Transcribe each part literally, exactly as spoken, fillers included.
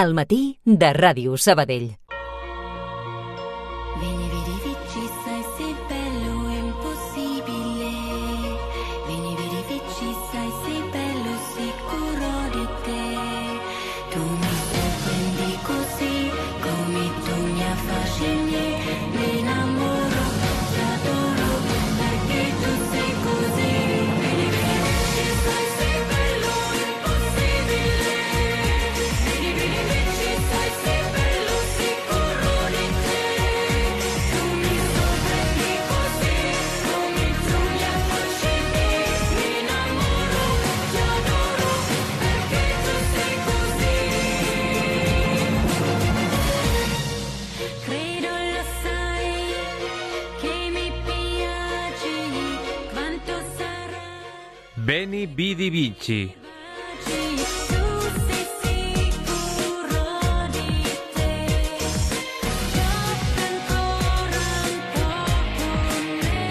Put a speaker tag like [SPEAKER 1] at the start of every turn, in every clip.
[SPEAKER 1] Al matí de Ràdio Sabadell.
[SPEAKER 2] Vieni, vedi, vici, sai, sei bello e impossibile. Vieni, vedi, vici, sai, sei bello, sicuro di te. Tu mi sorprendi così, come tu mi affascini. Mi innamoro, ti adoro, perché tu sei così. Vieni, vedi, vici, sai, sei bello e impossibile. Vieni, vedi, vici, sai, sei bello, sicuro di te. Tu mi sorprendi così, come tu mi affascini. Mi innamoro, ti adoro, perché tu sei così. Credo lo sai, che mi piaci, quanto sarà.
[SPEAKER 3] Beni Bidi Vici.
[SPEAKER 2] Tu sei sicuro di te, gioca ancora un po' con me,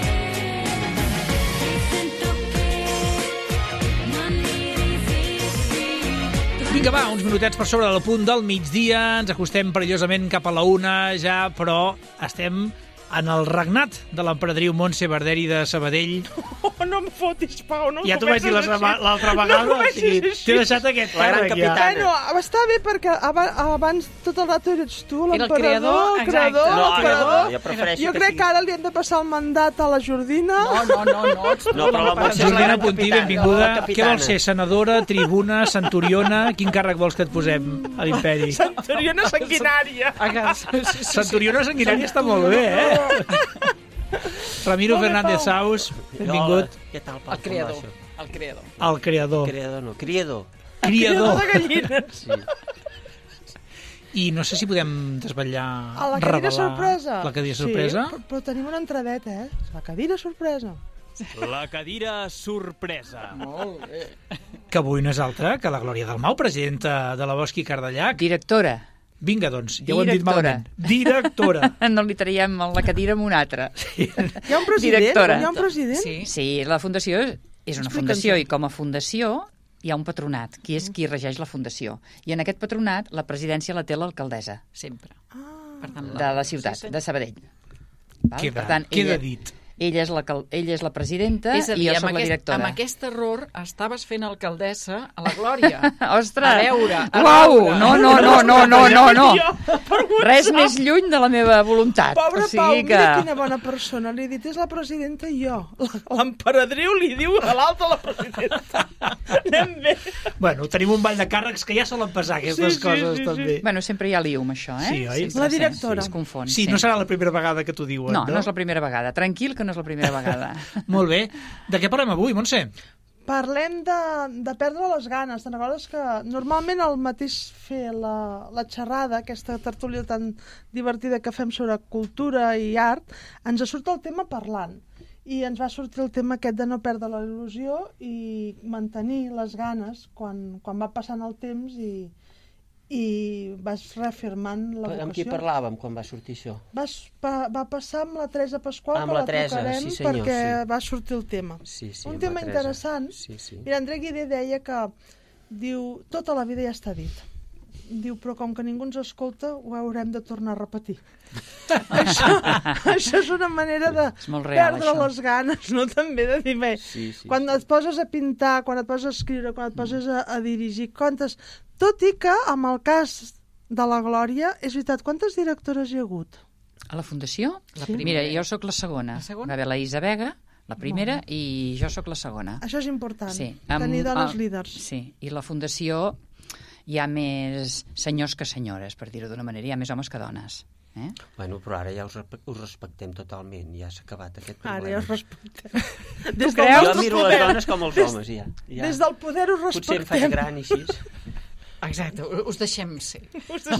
[SPEAKER 2] e sento che non mi resisti.
[SPEAKER 4] Vinga, va, uns minutets per sobre del punt del migdia, ens acostem perillosament cap a la una ja, però estem en el regnat de l'emperadriu Montse Barderi de Sabadell.
[SPEAKER 5] Oh, no em fotis, Pau, no em
[SPEAKER 4] Ja t'ho vaig dir
[SPEAKER 5] comencis
[SPEAKER 4] la-
[SPEAKER 5] així.
[SPEAKER 4] l'altra vegada,
[SPEAKER 5] No
[SPEAKER 4] o sigui,
[SPEAKER 5] comencis així.
[SPEAKER 4] t'he deixat aquest
[SPEAKER 6] La gran
[SPEAKER 4] càrrec ja.
[SPEAKER 6] capitana.
[SPEAKER 5] Bueno, està bé perquè aba- abans tot el rato eres tu,
[SPEAKER 7] Era el
[SPEAKER 5] l'emperador,
[SPEAKER 7] creador,
[SPEAKER 5] el creador,
[SPEAKER 7] exacte.
[SPEAKER 6] No,
[SPEAKER 5] l'emperador.
[SPEAKER 6] no, jo prefereixo
[SPEAKER 5] Jo
[SPEAKER 6] que
[SPEAKER 5] crec
[SPEAKER 6] sigui-
[SPEAKER 5] que ara li hem de passar el mandat a la Jordina.
[SPEAKER 7] No, no, no, no. ets tu,
[SPEAKER 6] No, però la
[SPEAKER 7] l'emperador.
[SPEAKER 6] Montse-
[SPEAKER 4] Jordina
[SPEAKER 6] la
[SPEAKER 4] Puntí,
[SPEAKER 6] capitana,
[SPEAKER 4] benvinguda.
[SPEAKER 6] la
[SPEAKER 4] Què
[SPEAKER 6] capitana.
[SPEAKER 4] vols ser, senadora, tribuna, centuriona? Quin càrrec vols que et posem a l'imperi?
[SPEAKER 5] Centuriona sanguinària.
[SPEAKER 7] Ah, sí, sí, sí.
[SPEAKER 4] Centuriona sanguinària està molt bé, eh? Ramiro
[SPEAKER 5] Molt bé,
[SPEAKER 4] Fernández
[SPEAKER 5] Pau.
[SPEAKER 4] Saus, benvingut.
[SPEAKER 6] Què tal, Pau?
[SPEAKER 7] El creador,
[SPEAKER 6] Com va això?
[SPEAKER 7] el creador.
[SPEAKER 4] El creador.
[SPEAKER 6] Creador no, criador.
[SPEAKER 4] Criador.
[SPEAKER 5] de gallines.
[SPEAKER 6] Sí.
[SPEAKER 4] I no sé si podem desvetllar,
[SPEAKER 5] A la cadira
[SPEAKER 4] revelar
[SPEAKER 5] sorpresa.
[SPEAKER 4] la cadira sorpresa.
[SPEAKER 5] Sí, però, però tenim una entradeta, eh? La cadira sorpresa.
[SPEAKER 3] La cadira sorpresa.
[SPEAKER 7] Molt bé.
[SPEAKER 4] Que avui no és altra que la Glòria Dalmau, presidenta de la Bosqui Cardellac.
[SPEAKER 8] Directora.
[SPEAKER 4] Vinga, doncs, ja ho hem dit
[SPEAKER 8] Directora.
[SPEAKER 4] malament. Directora.
[SPEAKER 8] No li traiem la cadira amb una altra.
[SPEAKER 5] Hi ha un president?
[SPEAKER 8] Directora.
[SPEAKER 5] Hi ha un president?
[SPEAKER 7] Sí.
[SPEAKER 8] Sí, la fundació és una
[SPEAKER 5] Explica'ns-ho.
[SPEAKER 8] fundació i com a fundació hi ha un patronat, qui és qui regeix la fundació. I en aquest patronat la presidència la té l'alcaldessa
[SPEAKER 7] Sempre.
[SPEAKER 5] Ah.
[SPEAKER 7] Per tant,
[SPEAKER 8] de la ciutat,
[SPEAKER 7] sí, sí.
[SPEAKER 8] de Sabadell. Val?
[SPEAKER 4] Queda,
[SPEAKER 8] Per tant,
[SPEAKER 4] queda
[SPEAKER 8] ella,
[SPEAKER 4] dit.
[SPEAKER 8] ella, és la, cal- ella és la presidenta
[SPEAKER 7] És a dir,
[SPEAKER 8] i jo
[SPEAKER 7] amb
[SPEAKER 8] soc la
[SPEAKER 7] aquest,
[SPEAKER 8] directora.
[SPEAKER 7] amb aquest error estaves fent alcaldessa a la Glòria.
[SPEAKER 8] Ostres!
[SPEAKER 7] A veure, a
[SPEAKER 8] Uau!
[SPEAKER 7] veure.
[SPEAKER 8] No, no, no, no, no, no, no.
[SPEAKER 5] Jo, per
[SPEAKER 8] Res
[SPEAKER 5] WhatsApp.
[SPEAKER 8] més lluny de la meva voluntat.
[SPEAKER 5] Pobre
[SPEAKER 8] o sigui
[SPEAKER 5] Pau,
[SPEAKER 8] que...
[SPEAKER 5] mira quina bona persona. Li he dit, és la presidenta i jo. L'emperadriu li diu a l'alta la presidenta. Anem bé.
[SPEAKER 4] Bueno, tenim un ball de càrrecs que ja solen passar aquestes
[SPEAKER 5] Sí, sí,
[SPEAKER 4] coses,
[SPEAKER 5] sí, sí.
[SPEAKER 4] també.
[SPEAKER 8] Bueno, sempre hi ha liu amb això, eh?
[SPEAKER 4] Sí, oi?
[SPEAKER 8] Sempre,
[SPEAKER 5] La
[SPEAKER 8] sí,
[SPEAKER 5] directora.
[SPEAKER 8] Sí, es confon.
[SPEAKER 4] Sí, no serà la primera vegada que t'ho diuen,
[SPEAKER 8] No,
[SPEAKER 4] no?
[SPEAKER 8] no és la primera vegada. Tranquil, que no és la primera vegada.
[SPEAKER 4] Molt bé. De què parlem avui, Montse?
[SPEAKER 5] Parlem de, de perdre les ganes. Te'n recordes que normalment al mateix fer la, la xerrada, aquesta tertúlia tan divertida que fem sobre cultura i art, ens surt el tema parlant. I ens va sortir el tema aquest de no perdre la il·lusió i mantenir les ganes quan, quan va passant el temps i, i vas reafirmant la vocació.
[SPEAKER 6] Amb qui parlàvem quan va sortir això?
[SPEAKER 5] Vas, pa, va passar amb la Teresa Pasqual,
[SPEAKER 6] Amb
[SPEAKER 5] que
[SPEAKER 6] la
[SPEAKER 5] la
[SPEAKER 6] Teresa,
[SPEAKER 5] trucarem
[SPEAKER 6] sí, senyor,
[SPEAKER 5] perquè
[SPEAKER 6] sí.
[SPEAKER 5] va sortir el tema.
[SPEAKER 6] Sí, sí,
[SPEAKER 5] Un
[SPEAKER 6] amb la
[SPEAKER 5] tema
[SPEAKER 6] Teresa.
[SPEAKER 5] interessant.
[SPEAKER 6] Sí, sí.
[SPEAKER 5] Mira, André Guidé deia que diu, tota la vida ja està dit. Diu, però com que ningú ens escolta, ho haurem de tornar a repetir. això, això és una manera de
[SPEAKER 8] És molt real,
[SPEAKER 5] perdre
[SPEAKER 8] això.
[SPEAKER 5] les ganes, no? També de dir, bé,
[SPEAKER 6] Sí, sí,
[SPEAKER 5] quan
[SPEAKER 6] sí.
[SPEAKER 5] et poses a pintar, quan et poses a escriure, quan et poses a, a dirigir contes, tot i que, amb el cas de la Glòria, és veritat, quantes directores hi ha hagut?
[SPEAKER 8] A la fundació?
[SPEAKER 7] La
[SPEAKER 5] Sí.
[SPEAKER 7] primera.
[SPEAKER 8] Mira, jo sóc la segona.
[SPEAKER 7] La segona?
[SPEAKER 8] Va haver la Isa Vega, la primera, i jo sóc la segona.
[SPEAKER 5] Això és important,
[SPEAKER 8] Sí.
[SPEAKER 5] tenir
[SPEAKER 8] Amb-
[SPEAKER 5] dones
[SPEAKER 8] ah,
[SPEAKER 5] líders.
[SPEAKER 8] Sí, i la fundació hi ha més senyors que senyores, per dir-ho d'una manera, hi ha més homes que dones. Eh?
[SPEAKER 6] Bueno, però ara ja us, respe- us respectem totalment, ja s'ha acabat aquest problema.
[SPEAKER 5] Ara ja us respectem. Des
[SPEAKER 8] creus?
[SPEAKER 6] Jo
[SPEAKER 5] nostre
[SPEAKER 6] miro
[SPEAKER 5] poder,
[SPEAKER 6] les dones com els
[SPEAKER 5] des,
[SPEAKER 6] homes, ja. ja.
[SPEAKER 5] Des del poder us
[SPEAKER 6] Potser em faig
[SPEAKER 5] respectem.
[SPEAKER 6] gran i així.
[SPEAKER 7] Exacte, us deixem ser.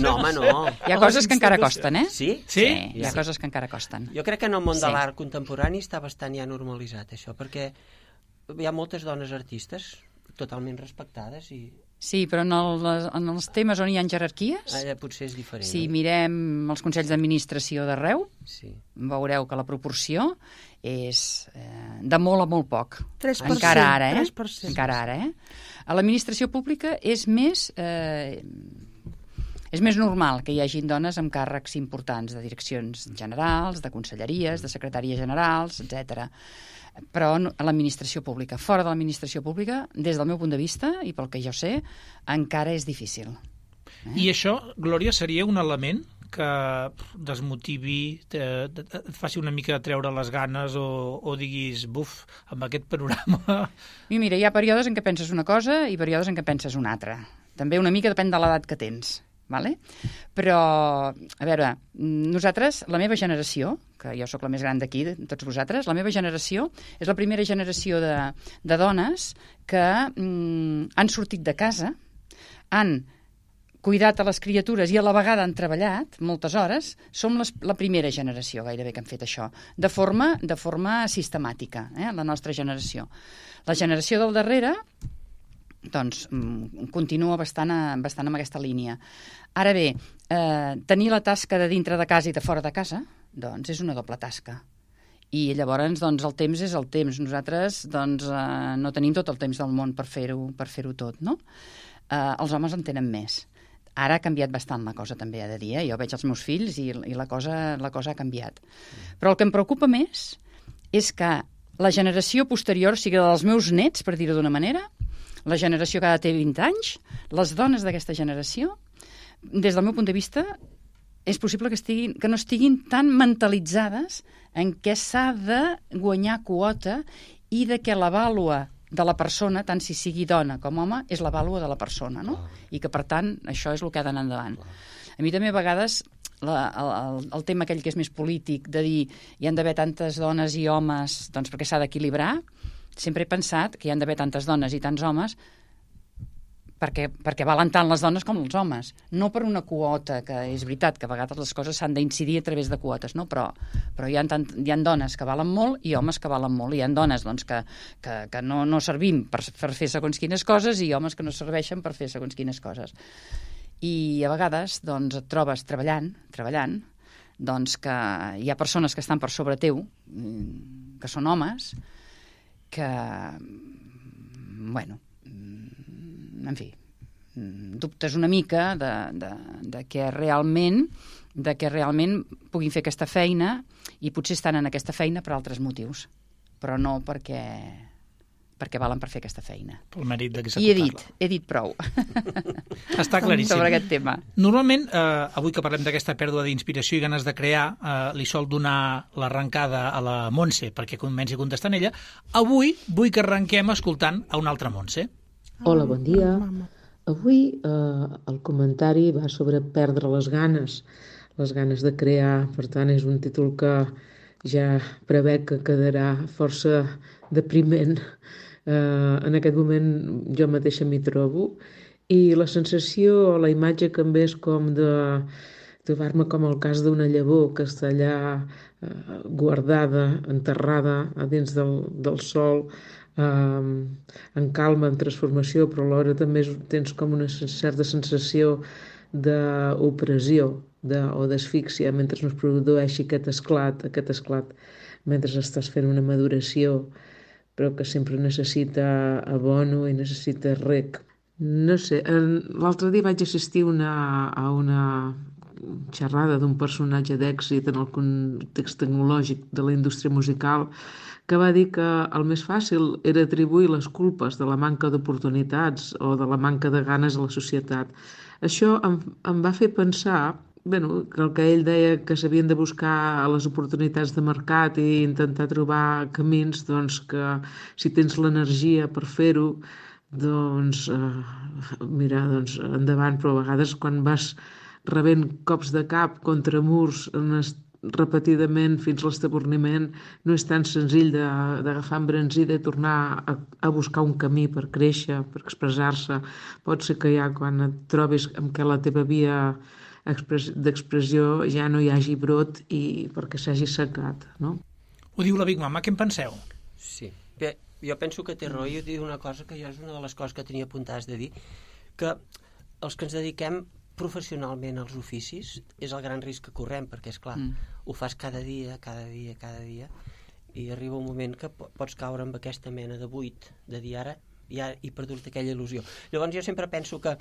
[SPEAKER 6] No, home, no.
[SPEAKER 8] Hi ha coses que encara costen, eh?
[SPEAKER 6] Sí?
[SPEAKER 4] Sí?
[SPEAKER 8] hi ha coses que encara costen.
[SPEAKER 6] Jo crec que en el món de
[SPEAKER 8] Sí.
[SPEAKER 6] l'art contemporani està bastant ja normalitzat, això, perquè hi ha moltes dones artistes totalment respectades i
[SPEAKER 8] Sí, però en, el, en els temes on hi ha jerarquies,
[SPEAKER 6] allà potser és diferent.
[SPEAKER 8] si
[SPEAKER 6] no?
[SPEAKER 8] mirem els consells d'administració d'arreu,
[SPEAKER 6] Sí.
[SPEAKER 8] veureu que la proporció és eh, de molt a molt poc.
[SPEAKER 5] tres per cent,
[SPEAKER 8] Encara ara, eh?
[SPEAKER 5] tres per cent.
[SPEAKER 8] Encara ara, eh? A l'administració pública és més... Eh, És més normal que hi hagin dones amb càrrecs importants de direccions generals, de conselleries, de secretàries generals, etcètera. Però a l'administració pública, fora de l'administració pública, des del meu punt de vista, i pel que jo sé, encara és difícil. Eh?
[SPEAKER 4] I això, Glòria, seria un element que desmotivi, et faci una mica treure les ganes o, o diguis, buf, amb aquest panorama...
[SPEAKER 8] I mira, hi ha períodes en què penses una cosa i períodes en què penses una altra. També una mica depèn de l'edat que tens. Vale? Però, a veure, nosaltres, la meva generació, que jo sóc la més gran d'aquí, de tots vosaltres, la meva generació és la primera generació de, de dones que mm, han sortit de casa, han cuidat a les criatures i a la vegada han treballat moltes hores. Som les, la primera generació gairebé que han fet això, de forma, de forma sistemàtica, eh? La nostra generació. La generació del darrere doncs continua bastant, a, bastant amb aquesta línia. Ara bé, eh, tenir la tasca de dintre de casa i de fora de casa, doncs és una doble tasca. I llavors doncs, el temps és el temps. Nosaltres doncs, eh, no tenim tot el temps del món per fer-ho per fer-ho tot, no? Eh, els homes en tenen més. Ara ha canviat bastant la cosa, també, he de dir. Eh? Jo veig els meus fills i, i la, cosa, la cosa ha canviat. Però el que em preocupa més és que la generació posterior, o sigui, dels meus nets, per dir-ho d'una manera, la generació que ara té vint anys, les dones d'aquesta generació, des del meu punt de vista, és possible que, estiguin, que no estiguin tan mentalitzades en què s'ha de guanyar quota i de què la vàlua de la persona, tant si sigui dona com home, és la vàlua de la persona, no? I que, per tant, això és el que ha d'anar endavant. A mi també, a vegades, la, el, el tema aquell que és més polític, de dir hi han d'haver tantes dones i homes doncs perquè s'ha d'equilibrar, sempre he pensat que hi han d'haver tantes dones i tants homes perquè, perquè valen tant les dones com els homes. No per una quota, que és veritat que a vegades les coses s'han d'incidir a través de quotes, no? però, però hi ha, tant, hi ha dones que valen molt i homes que valen molt. Hi ha dones doncs, que, que, que no, no servim per, per fer segons quines coses i homes que no serveixen per fer segons quines coses. I a vegades doncs, et trobes treballant, treballant doncs, que hi ha persones que estan per sobre teu, que són homes, que, bueno, en fi, dubtes una mica de, de, de que realment de que realment puguin fer aquesta feina i potser estan en aquesta feina per altres motius, però no perquè perquè valen per fer aquesta feina.
[SPEAKER 4] Pel mèrit d'executar-la.
[SPEAKER 8] I he dit, he dit prou.
[SPEAKER 4] Està claríssim.
[SPEAKER 8] Sobre aquest tema.
[SPEAKER 4] Normalment, eh, avui que parlem d'aquesta pèrdua d'inspiració i ganes de crear, eh, li sol donar l'arrencada a la Montse perquè comenci contestant ella. Avui vull que arrenquem escoltant a una altra Montse.
[SPEAKER 9] Hola, bon dia. Avui eh, el comentari va sobre perdre les ganes, les ganes de crear. Per tant, és un títol que ja prevé que quedarà força depriment. Eh, en aquest moment jo mateixa m'hi trobo i la sensació, la imatge que em ve és com de trobar-me com el cas d'una llavor que està allà eh, guardada, enterrada a dins del, del sol, eh, en calma, en transformació, però alhora també tens com una certa sensació d'opressió de, o d'asfíxia mentre no es produeixi aquest esclat, aquest esclat mentre estàs fent una maduració, però que sempre necessita abono i necessita rec. No sé, l'altre dia vaig assistir una, a una xerrada d'un personatge d'èxit en el context tecnològic de la indústria musical que va dir que el més fàcil era atribuir les culpes de la manca d'oportunitats o de la manca de ganes a la societat. Això em, em va fer pensar bueno, que el que ell deia que s'havien de buscar les oportunitats de mercat i intentar trobar camins, doncs que si tens l'energia per fer-ho, doncs eh, mira, doncs endavant, però a vegades quan vas rebent cops de cap contra murs repetidament fins a l'estaborniment, no és tan senzill d'agafar embranzida i tornar a, a buscar un camí per créixer, per expressar-se. Pot ser que ja quan et trobis amb què la teva via d'expressió ja no hi hagi brot i perquè s'hagi secat, no?
[SPEAKER 4] Ho diu la Big Mama, què en penseu?
[SPEAKER 6] Sí, bé, jo penso que té raó i diu una cosa que jo és una de les coses que tenia apuntades de dir, que els que ens dediquem professionalment als oficis és el gran risc que correm, perquè és clar, mm. ho fas cada dia, cada dia, cada dia, i arriba un moment que pots caure amb aquesta mena de buit, de dir ara ja he perdut aquella il·lusió. Llavors jo sempre penso que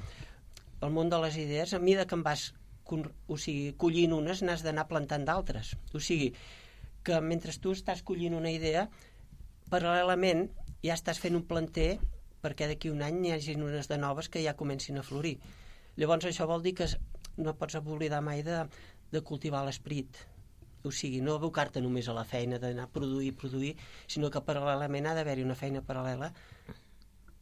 [SPEAKER 6] el món de les idees, a mesura que en vas o sigui, collint unes, n'has d'anar plantant d'altres. O sigui, que mentre tu estàs collint una idea, paral·lelament ja estàs fent un planter perquè d'aquí un any hi hagi unes de noves que ja comencin a florir. Llavors això vol dir que no pots oblidar mai de, de cultivar l'esperit. O sigui, no abocar-te només a la feina d'anar a produir, produir, sinó que paral·lelament ha d'haver-hi una feina paral·lela,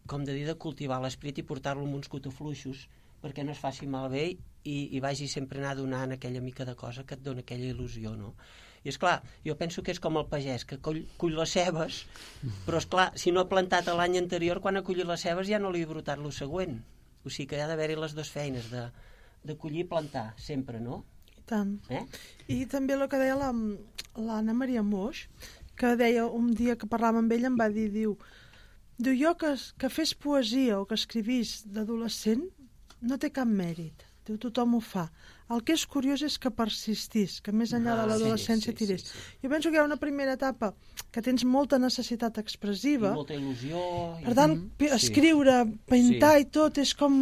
[SPEAKER 6] com de dir, de cultivar l'esperit i portar-lo amb uns cotofluixos perquè no es faci malbé i, i vagi sempre anar donant aquella mica de cosa que et dona aquella il·lusió, no? I és clar, jo penso que és com el pagès, que cull, cull les cebes, però és clar, si no ha plantat l'any anterior, quan ha collit les cebes ja no li ha brotat lo següent. O sigui que hi ha d'haver-hi les dues feines, de, de collir i plantar, sempre, no?
[SPEAKER 5] I tant.
[SPEAKER 6] Eh?
[SPEAKER 5] I també el que deia la, l'Anna Maria Moix, que deia un dia que parlàvem amb ella, em va dir, diu, diu jo que, que fes poesia o que escrivís d'adolescent no té cap mèrit. Diu, tothom ho fa. El que és curiós és que persistís, que més enllà ah, de l'adolescència sí, sí, tirés. Sí, sí. Jo penso que hi ha una primera etapa que tens molta necessitat expressiva.
[SPEAKER 6] I molta il·lusió.
[SPEAKER 5] Per tant,
[SPEAKER 6] sí.
[SPEAKER 5] escriure, pintar sí. i tot, és com...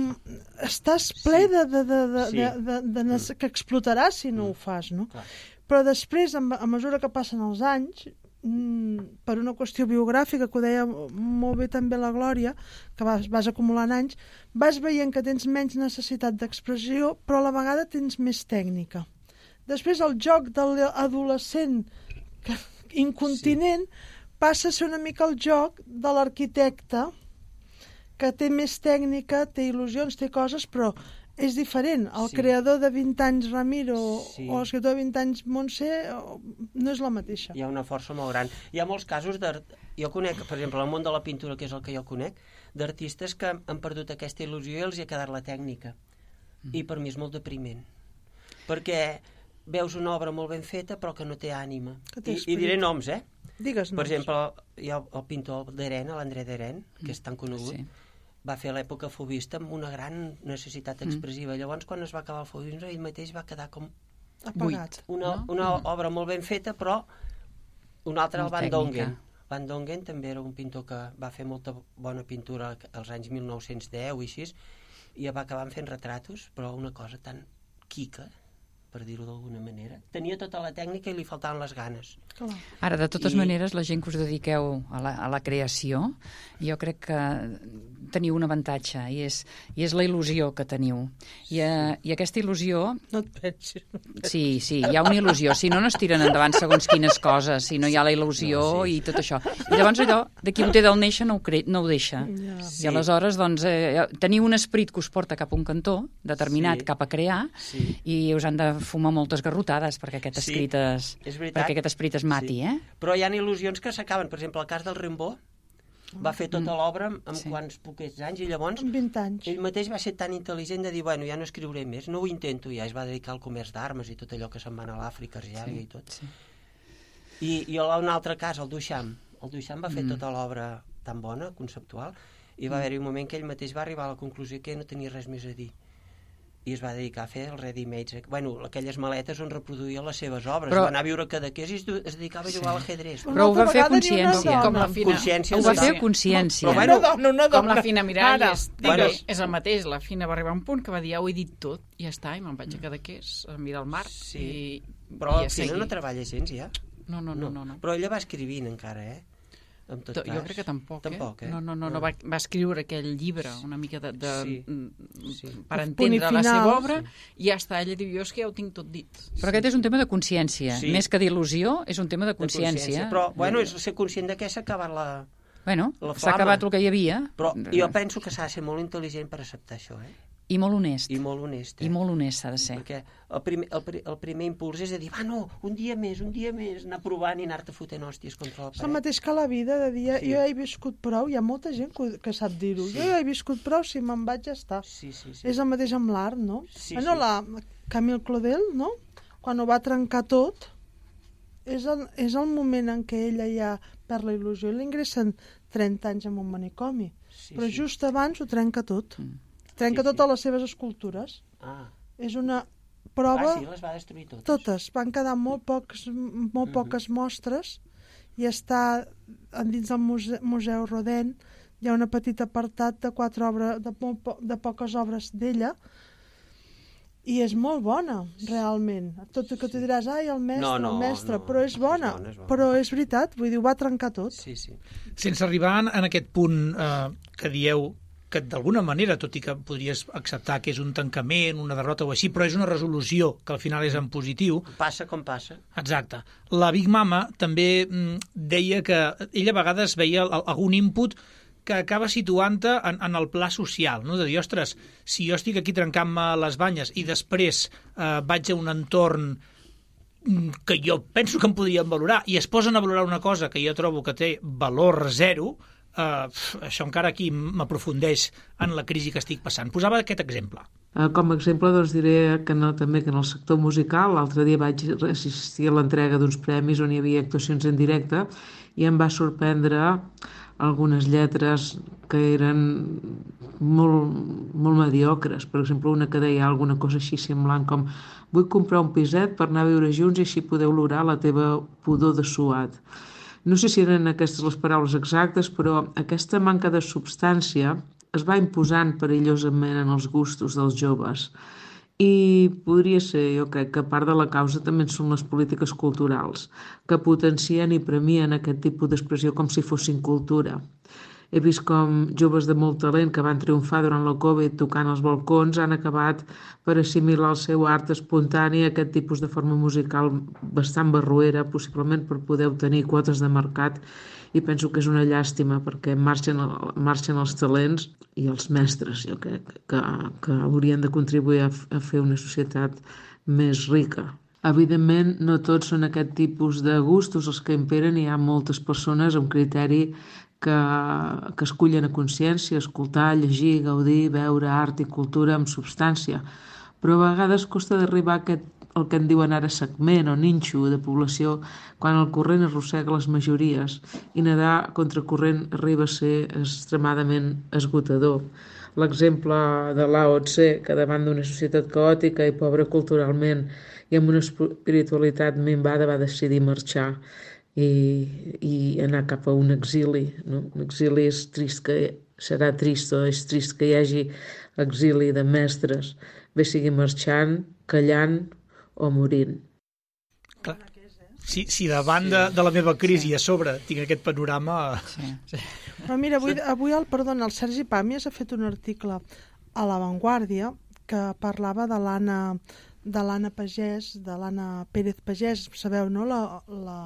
[SPEAKER 5] Estàs ple
[SPEAKER 6] sí.
[SPEAKER 5] de, de, de, de,
[SPEAKER 6] sí.
[SPEAKER 5] de, de, de, de mm. que explotaràs si no mm. ho fas, no? Clar. Però després, a mesura que passen els anys, per una qüestió biogràfica, que ho deia molt bé també la Glòria, que vas, vas acumulant anys, vas veient que tens menys necessitat d'expressió, però a la vegada tens més tècnica. Després el joc de l'adolescent incontinent sí. passa a ser una mica el joc de l'arquitecte, que té més tècnica, té il·lusions, té coses, però és diferent. El sí. creador de vint anys Ramiro sí. o l'escriptor de vint anys Montse no és la mateixa.
[SPEAKER 6] Hi ha una força molt gran. Hi ha molts casos de... Jo conec, per exemple, el món de la pintura, que és el que jo conec, d'artistes que han perdut aquesta il·lusió i els hi ha quedat la tècnica. Mm. I per mi és molt depriment. Perquè veus una obra molt ben feta però que no té ànima. I, I diré noms, eh?
[SPEAKER 5] Digues noms.
[SPEAKER 6] Per exemple, hi ha el pintor d'Eren, l'André d'Eren, que és tan conegut, sí. va fer l'època fobista amb una gran necessitat expressiva. Mm. Llavors, quan es va acabar el fobisme, ell mateix va quedar com...
[SPEAKER 5] apagat.
[SPEAKER 6] Una, no? una mm. obra molt ben feta, però un altre, el Van Dongen. Van Dongen també era un pintor que va fer molta bona pintura als anys mil nou-cents deu i així, i va acabar fent retratos, però una cosa tan quica, per dir-ho d'alguna manera. Tenia tota la tècnica i li faltaven les ganes.
[SPEAKER 5] Clar.
[SPEAKER 8] Ara, de totes
[SPEAKER 6] I...
[SPEAKER 8] maneres, la gent que us dediqueu a la, a la creació, jo crec que teniu un avantatge, i és, i és la il·lusió que teniu. I, uh, i aquesta il·lusió...
[SPEAKER 5] No et pensis. No et pensis.
[SPEAKER 8] Sí, sí, hi ha una il·lusió. Si no, no es tiren endavant segons quines coses, si no hi ha la il·lusió no, sí. i tot això. I llavors allò, de qui ho té del néixer no ho, cre... no ho deixa. Ja.
[SPEAKER 6] Sí.
[SPEAKER 8] I aleshores, doncs, eh, teniu un esperit que us porta cap a un cantó, determinat
[SPEAKER 6] sí.
[SPEAKER 8] cap a crear, sí. i us han de fumar moltes garrotades perquè aquest,
[SPEAKER 6] sí.
[SPEAKER 8] escrit es, perquè aquest esperit es mati,
[SPEAKER 6] sí.
[SPEAKER 8] eh?
[SPEAKER 6] Però hi ha il·lusions que s'acaben. Per exemple, el cas del Rimbaud, va fer tota
[SPEAKER 8] Mm.
[SPEAKER 6] l'obra amb
[SPEAKER 8] Sí.
[SPEAKER 6] quants poquets anys, i llavors
[SPEAKER 5] Amb vint anys.
[SPEAKER 6] ell mateix va ser tan intel·ligent de dir, bueno, ja no escriuré més, no ho intento, ja es va dedicar al comerç d'armes i tot allò que se'n va anar a l'Àfrica, Argèlia
[SPEAKER 8] Sí,
[SPEAKER 6] i tot.
[SPEAKER 8] sí.
[SPEAKER 6] I, i un altre cas, el Duchamp. El Duchamp va fer
[SPEAKER 8] Mm.
[SPEAKER 6] tota l'obra tan bona, conceptual, i va haver-hi un moment que ell mateix va arribar a la conclusió que no tenia res més a dir. I es va dedicar a fer el ready-made, bueno, aquelles maletes on reproduïa les seves obres.
[SPEAKER 8] Però...
[SPEAKER 6] Va anar a viure a Cadaqués i es, es dedicava a jugar sí. a l'ajedreix.
[SPEAKER 8] Però ho va fer a
[SPEAKER 5] vegada ni una
[SPEAKER 8] consciència.
[SPEAKER 5] dona.
[SPEAKER 7] Com la fina,
[SPEAKER 6] Consciència
[SPEAKER 8] Ho va
[SPEAKER 6] total.
[SPEAKER 8] fer a consciència.
[SPEAKER 6] Però,
[SPEAKER 5] Una
[SPEAKER 6] bueno,
[SPEAKER 5] dona, una dona.
[SPEAKER 7] com la Fina Miralles.
[SPEAKER 5] Ara,
[SPEAKER 6] bueno.
[SPEAKER 7] És el mateix, la Fina va arribar a un punt que va dir, ja ho he dit tot, i ja està, i me'n vaig a Cadaqués a mirar el mar.
[SPEAKER 6] Sí.
[SPEAKER 7] I,
[SPEAKER 6] Però
[SPEAKER 7] i
[SPEAKER 6] la
[SPEAKER 7] a
[SPEAKER 6] Fina
[SPEAKER 7] seguir.
[SPEAKER 6] no treballa gens, ja.
[SPEAKER 7] No, no, no, no. no.
[SPEAKER 6] Però ella va escrivint encara, eh? En tot
[SPEAKER 7] To-
[SPEAKER 6] cas.
[SPEAKER 7] Jo crec que tampoc,
[SPEAKER 6] Tampoc, eh?
[SPEAKER 7] No, no, no, no. Va, va escriure aquell llibre, una mica de, de,
[SPEAKER 6] Sí.
[SPEAKER 7] mm,
[SPEAKER 6] Sí.
[SPEAKER 7] per
[SPEAKER 5] El punt i
[SPEAKER 7] entendre la
[SPEAKER 5] final.
[SPEAKER 7] seva obra, i ja està. Ella diu, jo és que ja ho tinc tot dit.
[SPEAKER 8] Però aquest és un tema de consciència.
[SPEAKER 6] Sí.
[SPEAKER 8] Més que d'il·lusió, és un tema de
[SPEAKER 6] De
[SPEAKER 8] consciència.
[SPEAKER 6] Però, bueno, és ser conscient de que s'ha acabat la...
[SPEAKER 8] Bueno,
[SPEAKER 6] la
[SPEAKER 8] s'ha
[SPEAKER 6] flama.
[SPEAKER 8] acabat el que hi havia.
[SPEAKER 6] Però jo penso que s'ha de ser molt intel·ligent per acceptar això, eh?
[SPEAKER 8] I molt honest.
[SPEAKER 6] I molt honest, eh?
[SPEAKER 8] I molt honest s'ha de ser.
[SPEAKER 6] Perquè el primer, el, pri- el primer impuls és de dir, va, no, un dia més, un dia més, anar provant i anar-te fotent hòsties contra la
[SPEAKER 5] És el
[SPEAKER 6] paret.
[SPEAKER 5] mateix que la vida, de dir,
[SPEAKER 6] Sí.
[SPEAKER 5] jo ja he viscut prou, hi ha molta gent que, que sap dir-ho,
[SPEAKER 6] Sí.
[SPEAKER 5] jo ja he viscut prou, si me'n vaig ja està.
[SPEAKER 6] Sí, sí, sí.
[SPEAKER 5] És el mateix amb l'art, no?
[SPEAKER 6] Sí,
[SPEAKER 5] bueno,
[SPEAKER 6] sí.
[SPEAKER 5] la Camille Claudel, no? Quan ho va trencar tot, és el, és el moment en què ella ja perd la il·lusió. Ell ingressa en trenta anys en un manicomi,
[SPEAKER 6] Sí,
[SPEAKER 5] però
[SPEAKER 6] sí.
[SPEAKER 5] just abans ho trenca tot.
[SPEAKER 8] Mm.
[SPEAKER 5] Trenca
[SPEAKER 6] Sí, sí.
[SPEAKER 5] totes les seves escultures.
[SPEAKER 6] Ah.
[SPEAKER 5] És una prova...
[SPEAKER 6] ah, sí, les va destruir totes.
[SPEAKER 5] Totes. Van quedar molt, pocs, molt
[SPEAKER 6] Mhm.
[SPEAKER 5] poques mostres i està dins del museu, museu Rodin. Hi ha un petit apartat de quatre obres, de, molt po de poques obres d'ella, I és molt bona, realment. Tot i que tu diràs, ai, el mestre,
[SPEAKER 6] No, no,
[SPEAKER 5] el mestre,
[SPEAKER 6] no,
[SPEAKER 5] però és bona.
[SPEAKER 6] és bona, és bona.
[SPEAKER 5] Però és veritat, vull dir, ho va trencar tot.
[SPEAKER 6] Sí, sí.
[SPEAKER 4] Sense arribar en, en aquest punt eh, que dieu que d'alguna manera, tot i que podries acceptar que és un tancament, una derrota o així, però és una resolució que al final és en positiu.
[SPEAKER 6] Passa com passa.
[SPEAKER 4] Exacte. La Big Mama també mm, deia que ella a vegades veia algun input que acaba situant-te en, en el pla social, no? De dir, ostres, si jo estic aquí trencant-me les banyes i després eh, vaig a un entorn que jo penso que em podrien valorar i es posen a valorar una cosa que jo trobo que té valor zero, eh, això encara aquí m'aprofundeix en la crisi que estic passant. Posava aquest exemple.
[SPEAKER 9] Com a exemple, doncs, diré que no, també que en el sector musical, l'altre dia vaig assistir a l'entrega d'uns premis on hi havia actuacions en directe i em va sorprendre algunes lletres que eren molt, molt mediocres. Per exemple, una que deia alguna cosa així semblant com vull comprar un piset per anar a viure junts i així podeu olorar la teva pudor de suat. No sé si eren aquestes les paraules exactes, però aquesta manca de substància es va imposant perillosament en els gustos dels joves. I podria ser, jo crec, que part de la causa també són les polítiques culturals, que potencien i premien aquest tipus d'expressió com si fossin cultura. He vist com joves de molt talent que van triomfar durant la Covid tocant als balcons han acabat per assimilar el seu art espontani a aquest tipus de forma musical bastant barroera, possiblement per poder obtenir quotes de mercat, i penso que és una llàstima perquè marxen, marxen els talents i els mestres, jo crec, que, que haurien de contribuir a, a fer una societat més rica. Evidentment, no tots són aquest tipus de gustos els que imperen, hi ha moltes persones amb criteri que, que escullen a consciència, escoltar, llegir, gaudir, veure art i cultura amb substància, però a vegades costa d'arribar a aquest, el que en diuen ara segment o ninxo de població quan el corrent arrossega les majories i nedar contra corrent arriba a ser extremadament esgotador. L'exemple de Lao Tse, que davant d'una societat caòtica i pobra culturalment i amb una espiritualitat minvada va decidir marxar i, i anar cap a un exili. No? Un exili és trist, que serà trist o és trist que hi hagi exili de mestres, bé sigui marxant, callant o morint.
[SPEAKER 4] Clar. Si, si davant de, de la meva crisi a sobre tinc aquest panorama...
[SPEAKER 8] Sí, sí.
[SPEAKER 5] Però mira, avui, avui el, perdona, el Sergi Pàmies ha fet un article a La Vanguardia que parlava de l'Anna de l'Anna Pagès, de l'Anna Pérez Pagès, sabeu, no? La, la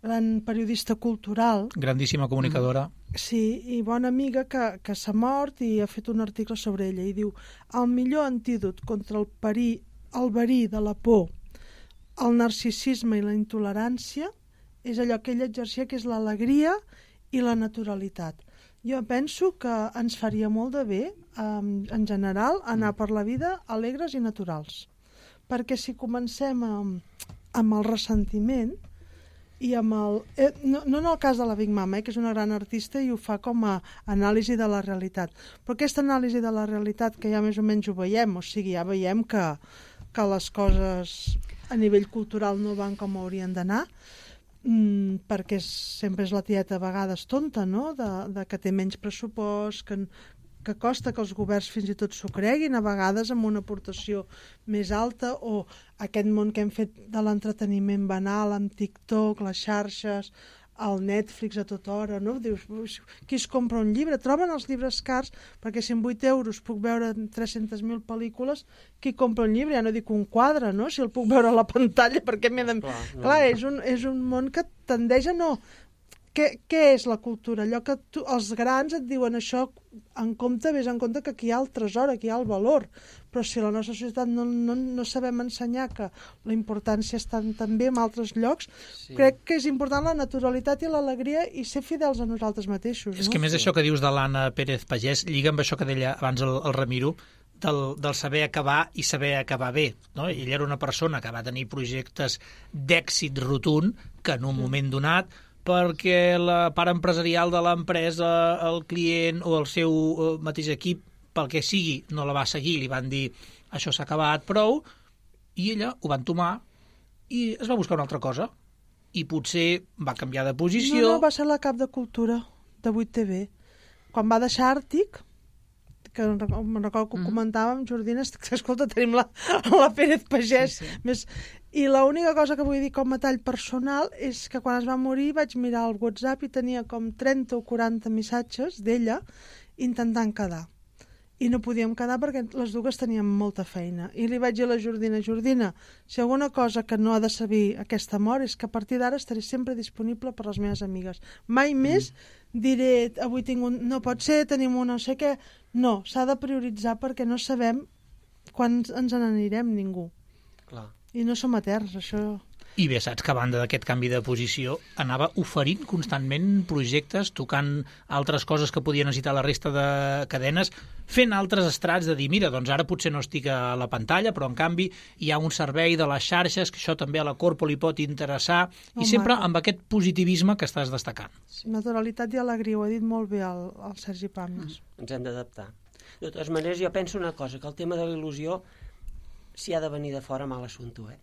[SPEAKER 5] gran periodista cultural.
[SPEAKER 4] Grandíssima comunicadora.
[SPEAKER 5] Sí, i bona amiga que, que s'ha mort i ha fet un article sobre ella i diu el millor antídot contra el perí el verí de la por, el narcisisme i la intolerància és allò que ella exercia, que és l'alegria i la naturalitat. Jo penso que ens faria molt de bé, en general, anar per la vida alegres i naturals. Perquè si comencem amb, amb el ressentiment i amb el... Eh, no, no en el cas de la Big Mama, eh, que és una gran artista i ho fa com a anàlisi de la realitat, però aquesta anàlisi de la realitat que ja més o menys ho veiem, o sigui, ja veiem que que les coses a nivell cultural no van com haurien d'anar, mmm, perquè és, sempre és la tieta a vegades tonta, no? de, de que té menys pressupost, que, que costa que els governs fins i tot s'ho creguin, a vegades amb una aportació més alta, o aquest món que hem fet de l'entreteniment banal amb TikTok, les xarxes, el Netflix a tota hora, no? Dius, qui es compra un llibre? Troben els llibres cars, perquè si amb vuit euros puc veure tres-centes mil pel·lícules, qui compra un llibre? Ja no dic un quadre, no? Si el puc veure a la pantalla, perquè m'he de... Clar, no. Clar, és un, és un món que tendeix a no... Què, què és la cultura? Allò que tu, els grans et diuen això, en compte, vés en compte que aquí hi ha el tresor, aquí hi ha el valor. Però si a la nostra societat no, no, no sabem ensenyar que la importància està també en altres llocs, sí. Crec que és important la naturalitat i l'alegria i ser fidels a nosaltres mateixos.
[SPEAKER 4] És
[SPEAKER 5] no?
[SPEAKER 4] que més això que dius de l'Anna Pérez Pagès lliga amb això que deia abans el, el Ramiro, del, del saber acabar i saber acabar bé. No? Ella era una persona que va tenir projectes d'èxit rotund que en un moment donat perquè la part empresarial de l'empresa, el client o el seu mateix equip, pel que sigui, no la va seguir, li van dir això s'ha acabat, prou, i ella ho va entomar i es va buscar una altra cosa. I potser va canviar de posició...
[SPEAKER 5] No, no, va ser la cap de cultura de vuit T V. Quan va deixar Àrtic, que me'n recordo que ho comentàvem, Jordina, escolta, tenim la, la Pérez Pagès.
[SPEAKER 7] Sí, sí.
[SPEAKER 5] Més... I l'única cosa que vull dir com a tall personal és que quan es va morir vaig mirar el WhatsApp i tenia com trenta o quaranta missatges d'ella intentant quedar. I no podíem quedar perquè les dues teníem molta feina. I li vaig dir a la Jordina, Jordina, si alguna cosa que no ha de saber aquesta mort és que a partir d'ara estaré sempre disponible per les meves amigues. Mai més diré, avui tinc un... No pot ser, tenim un no sé què. No, s'ha de prioritzar perquè no sabem quan ens n'anirem ningú.
[SPEAKER 6] Clar.
[SPEAKER 5] I no som eterns, això...
[SPEAKER 4] I bé, saps que a banda d'aquest canvi de posició anava oferint constantment projectes, tocant altres coses que podia necessitar la resta de cadenes, fent altres estrats de dir, mira, doncs ara potser no estic a la pantalla, però en canvi hi ha un servei de les xarxes, que això també a la Corpo li pot interessar, i
[SPEAKER 5] Home.
[SPEAKER 4] sempre amb aquest positivisme que estàs destacant.
[SPEAKER 5] Naturalitat i alegria, ho ha dit molt bé el, el Sergi Pàmies.
[SPEAKER 6] Ens hem d'adaptar. De totes maneres, jo penso una cosa, que el tema de la il·lusió, si ha de venir de fora, mal assumpte, eh?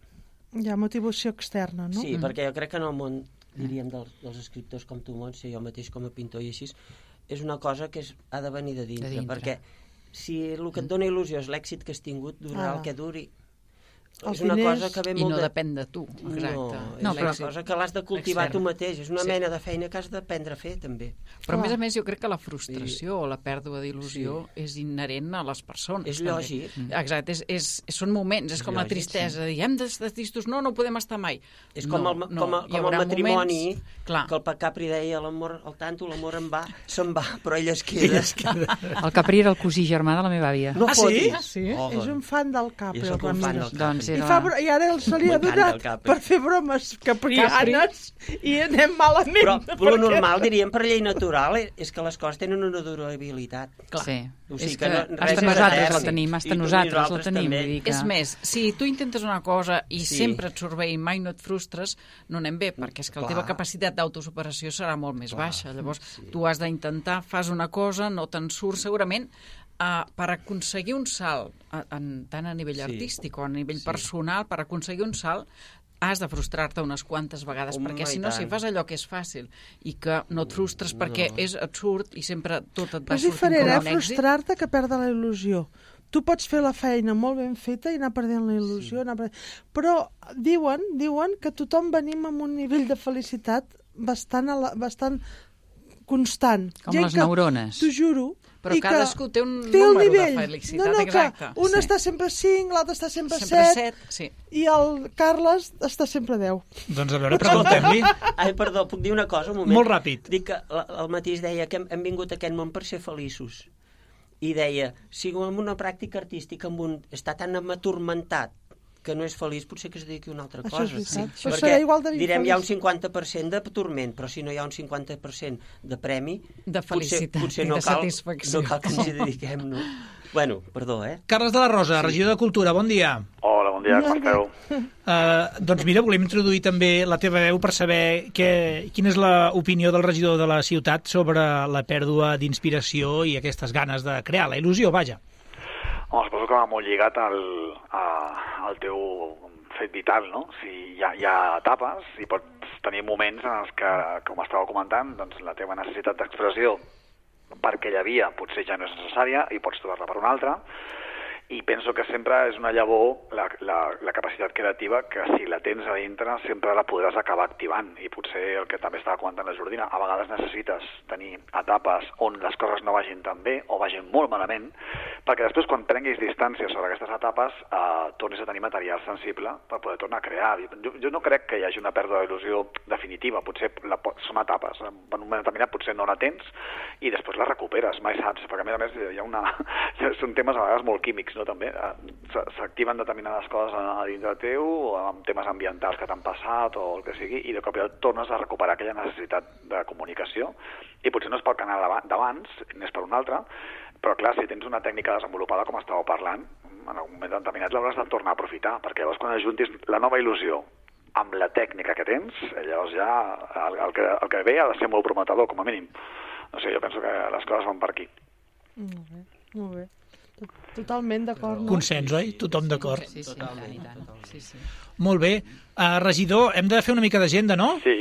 [SPEAKER 5] Hi ha motivació externa, no?
[SPEAKER 6] Sí, mm. perquè jo crec que en el món, diríem, dels, dels escriptors com tu, Montse, jo mateix com a pintor i així, és una cosa que és, ha de venir de dintre,
[SPEAKER 8] De dintre.
[SPEAKER 6] perquè si el que et dona il·lusió és l'èxit que has tingut, durarà
[SPEAKER 5] Ah.
[SPEAKER 6] el que duri.
[SPEAKER 5] Els
[SPEAKER 6] és una
[SPEAKER 5] diners-
[SPEAKER 6] cosa que ve
[SPEAKER 7] I
[SPEAKER 6] molt
[SPEAKER 7] no
[SPEAKER 6] de...
[SPEAKER 7] depèn de tu, exacte.
[SPEAKER 6] No, és
[SPEAKER 8] No,
[SPEAKER 6] una
[SPEAKER 8] però-
[SPEAKER 6] cosa que l'has de cultivar
[SPEAKER 7] Externa.
[SPEAKER 6] tu mateix, és una
[SPEAKER 7] Sí.
[SPEAKER 6] mena de feina que has d'aprendre a fer, també.
[SPEAKER 7] Però a
[SPEAKER 5] Clar.
[SPEAKER 7] més a més jo crec que la frustració o la pèrdua d'il·lusió és inherent a les persones.
[SPEAKER 6] És
[SPEAKER 7] també.
[SPEAKER 6] lògic.
[SPEAKER 7] Mm. Exacte, és, és, són moments, és,
[SPEAKER 6] És
[SPEAKER 7] com la
[SPEAKER 6] lògic,
[SPEAKER 7] tristesa, dir, hem d'estar tristos, no, no podem estar mai.
[SPEAKER 6] És com
[SPEAKER 7] no,
[SPEAKER 6] el,
[SPEAKER 7] no,
[SPEAKER 6] com, a,
[SPEAKER 7] hi
[SPEAKER 6] com el
[SPEAKER 7] haurà
[SPEAKER 6] matrimoni,
[SPEAKER 7] moments, clar,
[SPEAKER 6] que el Capri deia, l'amor, el tanto, l'amor en va, se'n va, però ell es queda.
[SPEAKER 8] El Capri era el cosí germà de la meva àvia.
[SPEAKER 6] No
[SPEAKER 4] Ah, sí?
[SPEAKER 6] fotis.
[SPEAKER 7] Ah, sí?
[SPEAKER 6] Oh,
[SPEAKER 5] És un fan del Capri,
[SPEAKER 6] Jo
[SPEAKER 5] el
[SPEAKER 6] sóc un fan
[SPEAKER 5] Ramírez.
[SPEAKER 6] del
[SPEAKER 8] Doncs
[SPEAKER 5] I,
[SPEAKER 8] era...
[SPEAKER 5] fa, bro- I ara el se li ha
[SPEAKER 6] M'encanta
[SPEAKER 5] donat
[SPEAKER 6] el Capri.
[SPEAKER 5] per fer bromes caprianes i anem malament.
[SPEAKER 6] Però, però
[SPEAKER 5] perquè-
[SPEAKER 6] normal, diríem, per llei natural, eh, és que les coses tenen una durabilitat.
[SPEAKER 7] clar.
[SPEAKER 8] Sí.
[SPEAKER 6] O sigui
[SPEAKER 8] és
[SPEAKER 6] que
[SPEAKER 8] que,
[SPEAKER 6] no- res
[SPEAKER 8] hasta
[SPEAKER 6] és
[SPEAKER 8] nosaltres
[SPEAKER 6] etern.
[SPEAKER 8] la tenim, hasta
[SPEAKER 6] I tu-
[SPEAKER 8] nosaltres la
[SPEAKER 6] nosaltres
[SPEAKER 8] tenim.
[SPEAKER 6] també.
[SPEAKER 8] Vull dir que...
[SPEAKER 7] És més, si tu intentes una cosa i
[SPEAKER 6] Sí.
[SPEAKER 7] sempre et surt bé i mai no et frustres, no anem bé, perquè és que la teva
[SPEAKER 6] Clar.
[SPEAKER 7] capacitat d'autosuperació serà molt més
[SPEAKER 6] Clar,
[SPEAKER 7] baixa. Llavors,
[SPEAKER 6] sí.
[SPEAKER 7] tu has d'intentar, fas una cosa, no te'n surt segurament, uh, per aconseguir un salt, a, en, tant a nivell
[SPEAKER 6] Sí.
[SPEAKER 7] artístic o a nivell
[SPEAKER 6] Sí.
[SPEAKER 7] personal, per aconseguir un salt, has de frustrar-te unes quantes vegades,
[SPEAKER 6] Home,
[SPEAKER 7] perquè si
[SPEAKER 6] i
[SPEAKER 7] no, si
[SPEAKER 6] tant.
[SPEAKER 7] fas allò que és fàcil i que no et frustres perquè
[SPEAKER 6] No.
[SPEAKER 7] és absurd i sempre tot et
[SPEAKER 5] Però
[SPEAKER 7] va
[SPEAKER 5] és
[SPEAKER 7] sortint
[SPEAKER 5] diferent,
[SPEAKER 7] com
[SPEAKER 5] eh?
[SPEAKER 7] un èxit.
[SPEAKER 5] Frustrar-te que perdre la il·lusió. Tu pots fer la feina molt ben feta i anar perdent la il·lusió, sí. anar perdent... però diuen, diuen que tothom venim amb un nivell de felicitat bastant, a la, bastant constant.
[SPEAKER 8] Com
[SPEAKER 5] Gent
[SPEAKER 8] les
[SPEAKER 5] que,
[SPEAKER 8] neurones.
[SPEAKER 5] T'ho juro.
[SPEAKER 7] Però
[SPEAKER 5] i
[SPEAKER 7] cadascú té un
[SPEAKER 5] té el
[SPEAKER 7] número
[SPEAKER 5] nivell.
[SPEAKER 7] de felicitat,
[SPEAKER 5] no, no,
[SPEAKER 7] exacte.
[SPEAKER 5] Que un
[SPEAKER 8] Sí.
[SPEAKER 5] està sempre a cinc, l'altre està sempre a
[SPEAKER 7] Sempre
[SPEAKER 5] set,
[SPEAKER 7] set, sí.
[SPEAKER 5] i el Carles està sempre a deu.
[SPEAKER 4] Doncs a veure, preguntem-li.
[SPEAKER 6] Ai, perdó, puc dir una cosa, un moment?
[SPEAKER 4] Molt ràpid.
[SPEAKER 6] Dic que la- el mateix deia que hem, hem vingut a aquest món per ser feliços. I deia, si en una pràctica artística amb un, està tan aturmentat que no és feliç, potser que es dediqui a una altra
[SPEAKER 5] Això
[SPEAKER 6] cosa.
[SPEAKER 5] és veritat.
[SPEAKER 6] Sí.
[SPEAKER 5] Però
[SPEAKER 6] Perquè,
[SPEAKER 5] serà igual de
[SPEAKER 6] direm, hi ha un
[SPEAKER 5] infeliç.
[SPEAKER 6] cinquanta per cent de turment, però si no hi ha un cinquanta per cent de premi,
[SPEAKER 7] De felicitat
[SPEAKER 6] potser, potser
[SPEAKER 7] i
[SPEAKER 6] no
[SPEAKER 7] de
[SPEAKER 6] cal,
[SPEAKER 7] satisfacció.
[SPEAKER 6] no cal que ens hi dediquem, no? Bueno, perdó, eh?
[SPEAKER 4] Carles de la Rosa, regidor de Cultura, bon dia.
[SPEAKER 10] Hola, bon dia, com esteu?
[SPEAKER 4] Uh, doncs mira, volem introduir també la teva veu per saber que, quina és l'opinió del regidor de la ciutat sobre la pèrdua d'inspiració i aquestes ganes de crear, la il·lusió, vaja.
[SPEAKER 10] Home, suposo que va molt lligat al, a, al teu fet vital, no? Si hi ha, hi ha etapes i pots tenir moments en els que, com estàveu comentant, doncs la teva necessitat d'expressió per aquella via potser ja no és necessària i pots trobar-la per una altra, i penso que sempre és una llavor la, la, la capacitat creativa que si la tens a dintre sempre la podràs acabar activant, i potser el que també estava comentant la Jordina, a vegades necessites tenir etapes on les coses no vagin tan bé o vagin molt malament, perquè després quan prenguis distància sobre aquestes etapes eh, tornis a tenir material sensible per poder tornar a crear. Jo, jo no crec que hi hagi una pèrdua d'il·lusió definitiva, potser la, són etapes, en un moment determinat potser no la tens i després la recuperes, mai saps, perquè a més a més hi ha una, són temes a vegades molt químics, no? També s'activen determinades coses a dintre teu, amb temes ambientals que t'han passat o el que sigui, i de cop i volta tornes a recuperar aquella necessitat de comunicació, i potser no és pel canal d'abans, n'és per un altre, però clar, si tens una tècnica desenvolupada com estàveu parlant, en algun moment determinat l'hauràs de tornar a aprofitar, perquè llavors quan ajuntis la nova il·lusió amb la tècnica que tens, llavors ja el, el, que, el que ve ha de ser molt prometedor, com a mínim. No sé, jo penso que les coses van per aquí.
[SPEAKER 5] Molt bé, molt bé. Totalment d'acord, no?
[SPEAKER 4] Consens, oi? Tothom d'acord.
[SPEAKER 8] Sí, sí,
[SPEAKER 6] Totalment,
[SPEAKER 8] i tant, i tant.
[SPEAKER 6] totalment.
[SPEAKER 8] Sí, sí.
[SPEAKER 4] Molt bé. Uh, regidor, hem de fer una mica d'agenda, no?
[SPEAKER 10] Sí,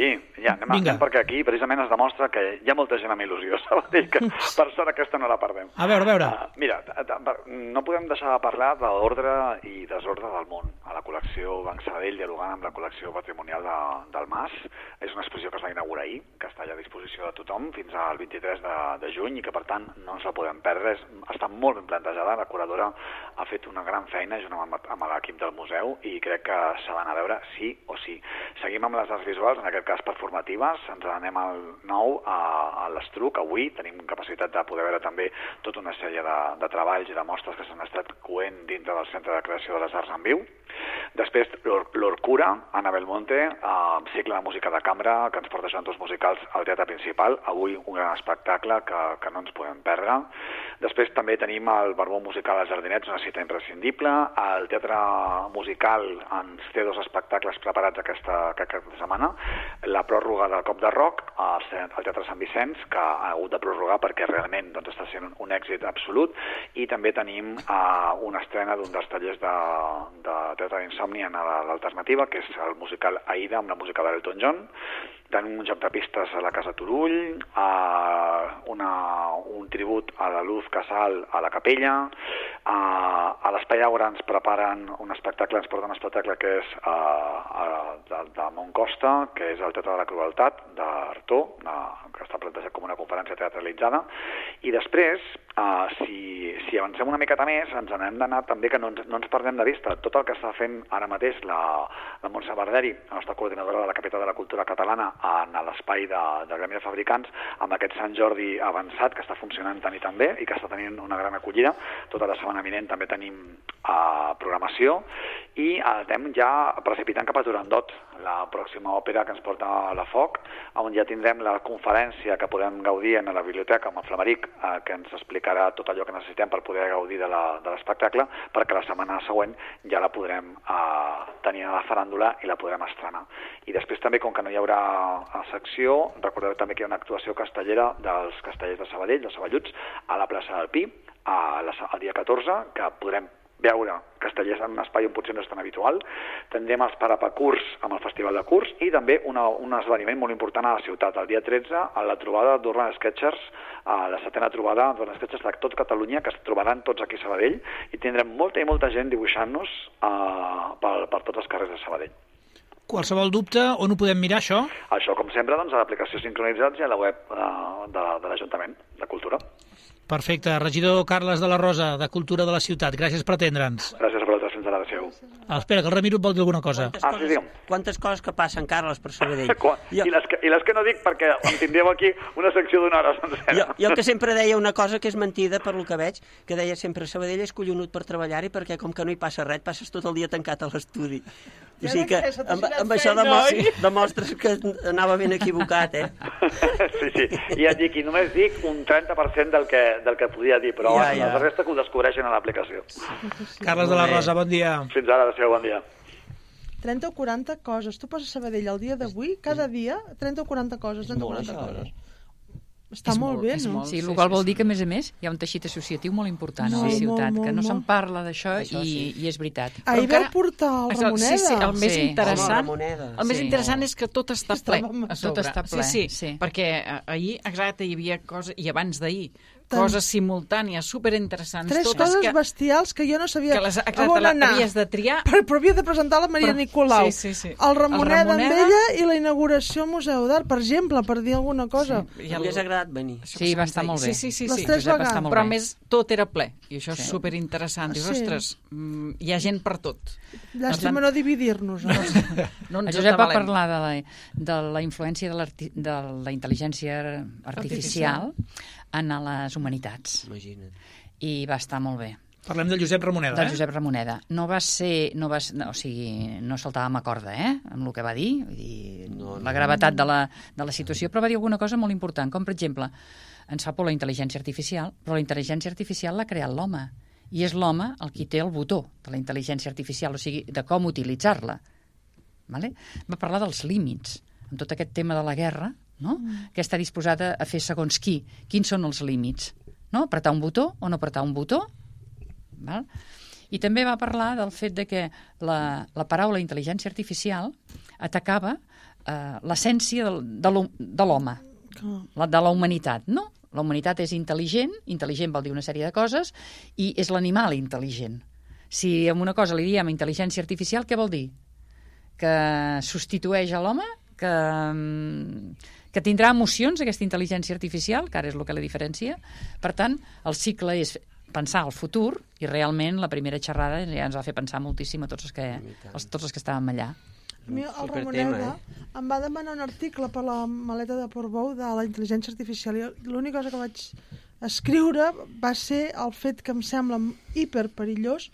[SPEAKER 10] ja, anem,
[SPEAKER 4] Vinga.
[SPEAKER 10] anem perquè aquí precisament es demostra que hi ha molta gent amb il·lusió, Sabadell, que per sort aquesta no la perdem.
[SPEAKER 4] A veure, a veure.
[SPEAKER 10] Uh, mira, t- t- no podem deixar de parlar de l'ordre i desordre del món a la col·lecció Banc Sabadell, dialogant amb la col·lecció patrimonial de, del Mas. És una exposició que es va inaugurar ahir, que està ja a disposició de tothom fins al vint-i-tres de, de juny i que, per tant, no ens la podem perdre. És, està molt ben plantejada, la curadora ha fet una gran feina junt amb, amb l'equip del museu i crec que s'ha d'anar a veure sí o sí. Seguim amb les arts visuals, en aquest cas performatives, ens anem al nou a, a l'Estruc, avui tenim capacitat de poder veure també tota una sèrie de, de treballs i de mostres que s'han estat coent dintre del Centre de Creació de les Arts en Viu. Després, l'Orcura, Ana Belmonte, eh, cicle de música de cambra, que ens porta jantors musicals al Teatre Principal, avui un gran espectacle que, que no ens podem perdre. Després també tenim el Barbó Musical als Jardinets, una cita imprescindible. El Teatre Musical ens té dos espectacles preparats aquesta, aquesta setmana. La pròrroga del Cop de Rock al, al Teatre Sant Vicenç, que ha hagut de prorrogar perquè realment doncs, està sent un èxit absolut. I també tenim uh, una estrena d'un dels tallers de, de Teatre d'Insomni en l'alternativa, que és el musical Aida, amb la música d'Elton John. Tenim un joc de pistes a la Casa Turull, uh, una, un tribut a la Luz Casal a la Capella, uh, a l'Espai Aura ens preparen un espectacle, ens porten un espectacle que és uh, uh, de, de Montcosta, que és el Teatre de la Crueltat, d'Artó, uh, que està plantejat com una conferència teatralitzada, i després, uh, si, si avancem una miqueta més, ens n'hem d'anar també que no ens, no ens perdem de vista tot el que està fent ara mateix la, la Montse Barderi, la nostra coordinadora de la Capital de la Cultura Catalana, en l'espai de, de Gremi de Fabricants, amb aquest Sant Jordi avançat que està funcionant tant i tan bé i que està tenint una gran acollida. Tota la setmana vinent també tenim uh, programació i uh, estem ja precipitant cap a Turandot, la pròxima òpera que ens porta a la Foc, on ja tindrem la conferència que podem gaudir en la biblioteca amb el Flamaric, uh, que ens explicarà tot allò que necessitem per poder gaudir de l'espectacle, perquè la setmana següent ja la podrem uh, tenir a la faràndula i la podrem estrenar. I després també, com que no hi haurà a secció, recordeu també que hi ha una actuació castellera dels castellers de Sabadell, dels Saballuts, a la plaça del Pi, a la, el dia catorze, que podrem veure castellers en un espai on potser no és tan habitual. Tindrem els Parapacurs amb el Festival de Curs i també una, un esdeveniment molt important a la ciutat, el dia tretze, a la trobada d'Urban Sketchers, a la setena trobada d'Urban Sketchers de tot Catalunya, que es trobaran tots aquí a Sabadell, i tindrem molta i molta gent dibuixant-nos uh, per, per tots els carrers de Sabadell.
[SPEAKER 4] Qualsevol dubte, on ho podem mirar, això?
[SPEAKER 10] Això, com sempre, doncs, a l'aplicació Sincronitzats i a la web uh, de, de l'Ajuntament de Cultura.
[SPEAKER 4] Perfecte. Regidor Carles de la Rosa, de Cultura de la Ciutat, gràcies per atendre'ns.
[SPEAKER 10] Gràcies per la fins a l'adreçeu.
[SPEAKER 4] Ah, espera, que el Ramiro et vol dir alguna cosa.
[SPEAKER 6] Quantes,
[SPEAKER 10] Ah,
[SPEAKER 6] coses,
[SPEAKER 10] sí, digue'm.
[SPEAKER 6] quantes coses que passen, Carles, per Sabadell.
[SPEAKER 10] Quan- I, les que, I les que no dic perquè em tindríeu aquí una secció d'una hora sencera.
[SPEAKER 6] Jo, jo que sempre deia una cosa que és mentida per lo que veig, que deia sempre Sabadell és collonut per treballar-hi perquè com que no hi passa res, passes tot el dia tancat a l'estudi. O
[SPEAKER 5] Ja
[SPEAKER 6] sigui
[SPEAKER 5] de
[SPEAKER 6] que
[SPEAKER 5] què? Se t'ha
[SPEAKER 6] amb,
[SPEAKER 5] girat
[SPEAKER 6] amb això
[SPEAKER 5] feina,
[SPEAKER 6] demo
[SPEAKER 5] oi?
[SPEAKER 6] demostres que anava ben equivocat, eh?
[SPEAKER 10] Sí, sí. I et dic, i només dic un trenta per cent del que, del que podia dir, però
[SPEAKER 6] Ja,
[SPEAKER 10] ja,
[SPEAKER 6] ja.
[SPEAKER 10] la resta que ho descobreixen a l'aplicació.
[SPEAKER 4] Carles de la Rosa, bon dia.
[SPEAKER 10] Fins ara, adéu, bon dia.
[SPEAKER 5] trenta o quaranta coses. Tu poses a Sabadell el dia d'avui, cada dia, trenta o quaranta coses. trenta o
[SPEAKER 6] molt,
[SPEAKER 5] quaranta
[SPEAKER 6] això,
[SPEAKER 5] coses. Està molt, bé,
[SPEAKER 7] és
[SPEAKER 5] no?
[SPEAKER 7] molt.
[SPEAKER 8] Sí,
[SPEAKER 7] Sí,
[SPEAKER 8] el qual
[SPEAKER 7] sí,
[SPEAKER 8] vol
[SPEAKER 7] sí.
[SPEAKER 8] dir que, a més a més, hi ha un teixit associatiu molt important a la
[SPEAKER 5] Molt,
[SPEAKER 8] ciutat,
[SPEAKER 5] molt,
[SPEAKER 8] que no
[SPEAKER 5] molt,
[SPEAKER 8] se'n
[SPEAKER 5] molt.
[SPEAKER 8] parla d'això i,
[SPEAKER 6] Això sí.
[SPEAKER 8] i és veritat.
[SPEAKER 5] Ahir
[SPEAKER 7] encara-
[SPEAKER 5] vau portar el
[SPEAKER 7] Això,
[SPEAKER 5] Ramoneda.
[SPEAKER 7] Sí, sí, el més
[SPEAKER 8] Sí.
[SPEAKER 6] Home,
[SPEAKER 7] interessant,
[SPEAKER 6] Ramoneda.
[SPEAKER 7] el més
[SPEAKER 8] Sí.
[SPEAKER 7] interessant és que tot està ple
[SPEAKER 5] Estàvem a
[SPEAKER 7] a sobre.
[SPEAKER 8] Tot està ple,
[SPEAKER 7] Sí, sí,
[SPEAKER 8] sí.
[SPEAKER 7] perquè eh, ahir, exacte, hi havia coses, i abans d'ahir,
[SPEAKER 5] Tant.
[SPEAKER 7] coses simultànies, superinteressants.
[SPEAKER 5] Tres
[SPEAKER 7] totes
[SPEAKER 5] coses
[SPEAKER 7] que,
[SPEAKER 5] bestials que jo no sabia
[SPEAKER 7] que les,
[SPEAKER 5] a
[SPEAKER 7] exacte,
[SPEAKER 5] on
[SPEAKER 7] la-
[SPEAKER 5] anar.
[SPEAKER 7] havies de triar.
[SPEAKER 5] Però, però havia de presentar la Maria
[SPEAKER 7] Però-
[SPEAKER 5] Nicolau,
[SPEAKER 7] sí, sí, sí.
[SPEAKER 5] el Ramoneda,
[SPEAKER 7] El Ramoneda
[SPEAKER 5] amb ella i la inauguració al Museu d'Art, per exemple, per dir alguna cosa.
[SPEAKER 7] I
[SPEAKER 6] Ja
[SPEAKER 7] el-
[SPEAKER 6] m'hagués agradat venir.
[SPEAKER 8] Sí, va estar molt bé.
[SPEAKER 7] Sí, sí, sí.
[SPEAKER 5] Les
[SPEAKER 7] sí.
[SPEAKER 5] tres
[SPEAKER 8] Josep,
[SPEAKER 5] vegades.
[SPEAKER 8] està molt
[SPEAKER 7] Però a
[SPEAKER 8] bé.
[SPEAKER 7] més tot era ple, i això és
[SPEAKER 8] Sí.
[SPEAKER 7] superinteressant. Dius,
[SPEAKER 5] Sí.
[SPEAKER 7] ostres, mm, hi ha gent per tot.
[SPEAKER 5] Llàstima no dividir-nos. No?
[SPEAKER 7] No
[SPEAKER 8] El
[SPEAKER 7] ens
[SPEAKER 8] Josep va
[SPEAKER 7] atabalem.
[SPEAKER 8] parlar de la, de la influència de, l'arti- de la intel·ligència artificial en les humanitats.
[SPEAKER 6] Imagina't.
[SPEAKER 8] I va estar molt bé.
[SPEAKER 4] Parlem del Josep Ramoneda,
[SPEAKER 8] Del
[SPEAKER 4] eh?
[SPEAKER 8] Josep Ramoneda. No va ser... No va, ser- no, o sigui, no saltàvem a corda, eh?, amb el que va dir, vull dir
[SPEAKER 6] No, no.
[SPEAKER 8] la gravetat de la, de la situació, però va dir alguna cosa molt important, com, per exemple, ens fa por la intel·ligència artificial, però la intel·ligència artificial l'ha creat l'home, i és l'home el qui té el botó de la intel·ligència artificial, o sigui, de com utilitzar-la. Vale? Va parlar dels límits, amb tot aquest tema de la guerra, no? Mm. Que està disposada a fer segons qui. Quins són els límits? No? Apretar un botó o no apretar un botó? Val? I també va parlar del fet de que la, la paraula intel·ligència artificial atacava eh, l'essència del, de l'home, la, de la humanitat. No, la humanitat és intel·ligent, intel·ligent vol dir una sèrie de coses, i és l'animal intel·ligent. Si a una cosa li diem intel·ligència artificial, què vol dir? Que substitueix a l'home? Que, que tindrà emocions, aquesta intel·ligència artificial, que ara és el que la diferencia. Per tant, el cicle és pensar al futur, i realment la primera xerrada ja ens va fer pensar moltíssim a tots els que, els, tots els que estàvem allà.
[SPEAKER 5] A mi el Ramoneda eh? em va demanar un article per la maleta de Portbou de la intel·ligència artificial, i l'única cosa que vaig escriure va ser el fet que em sembla hiperperillós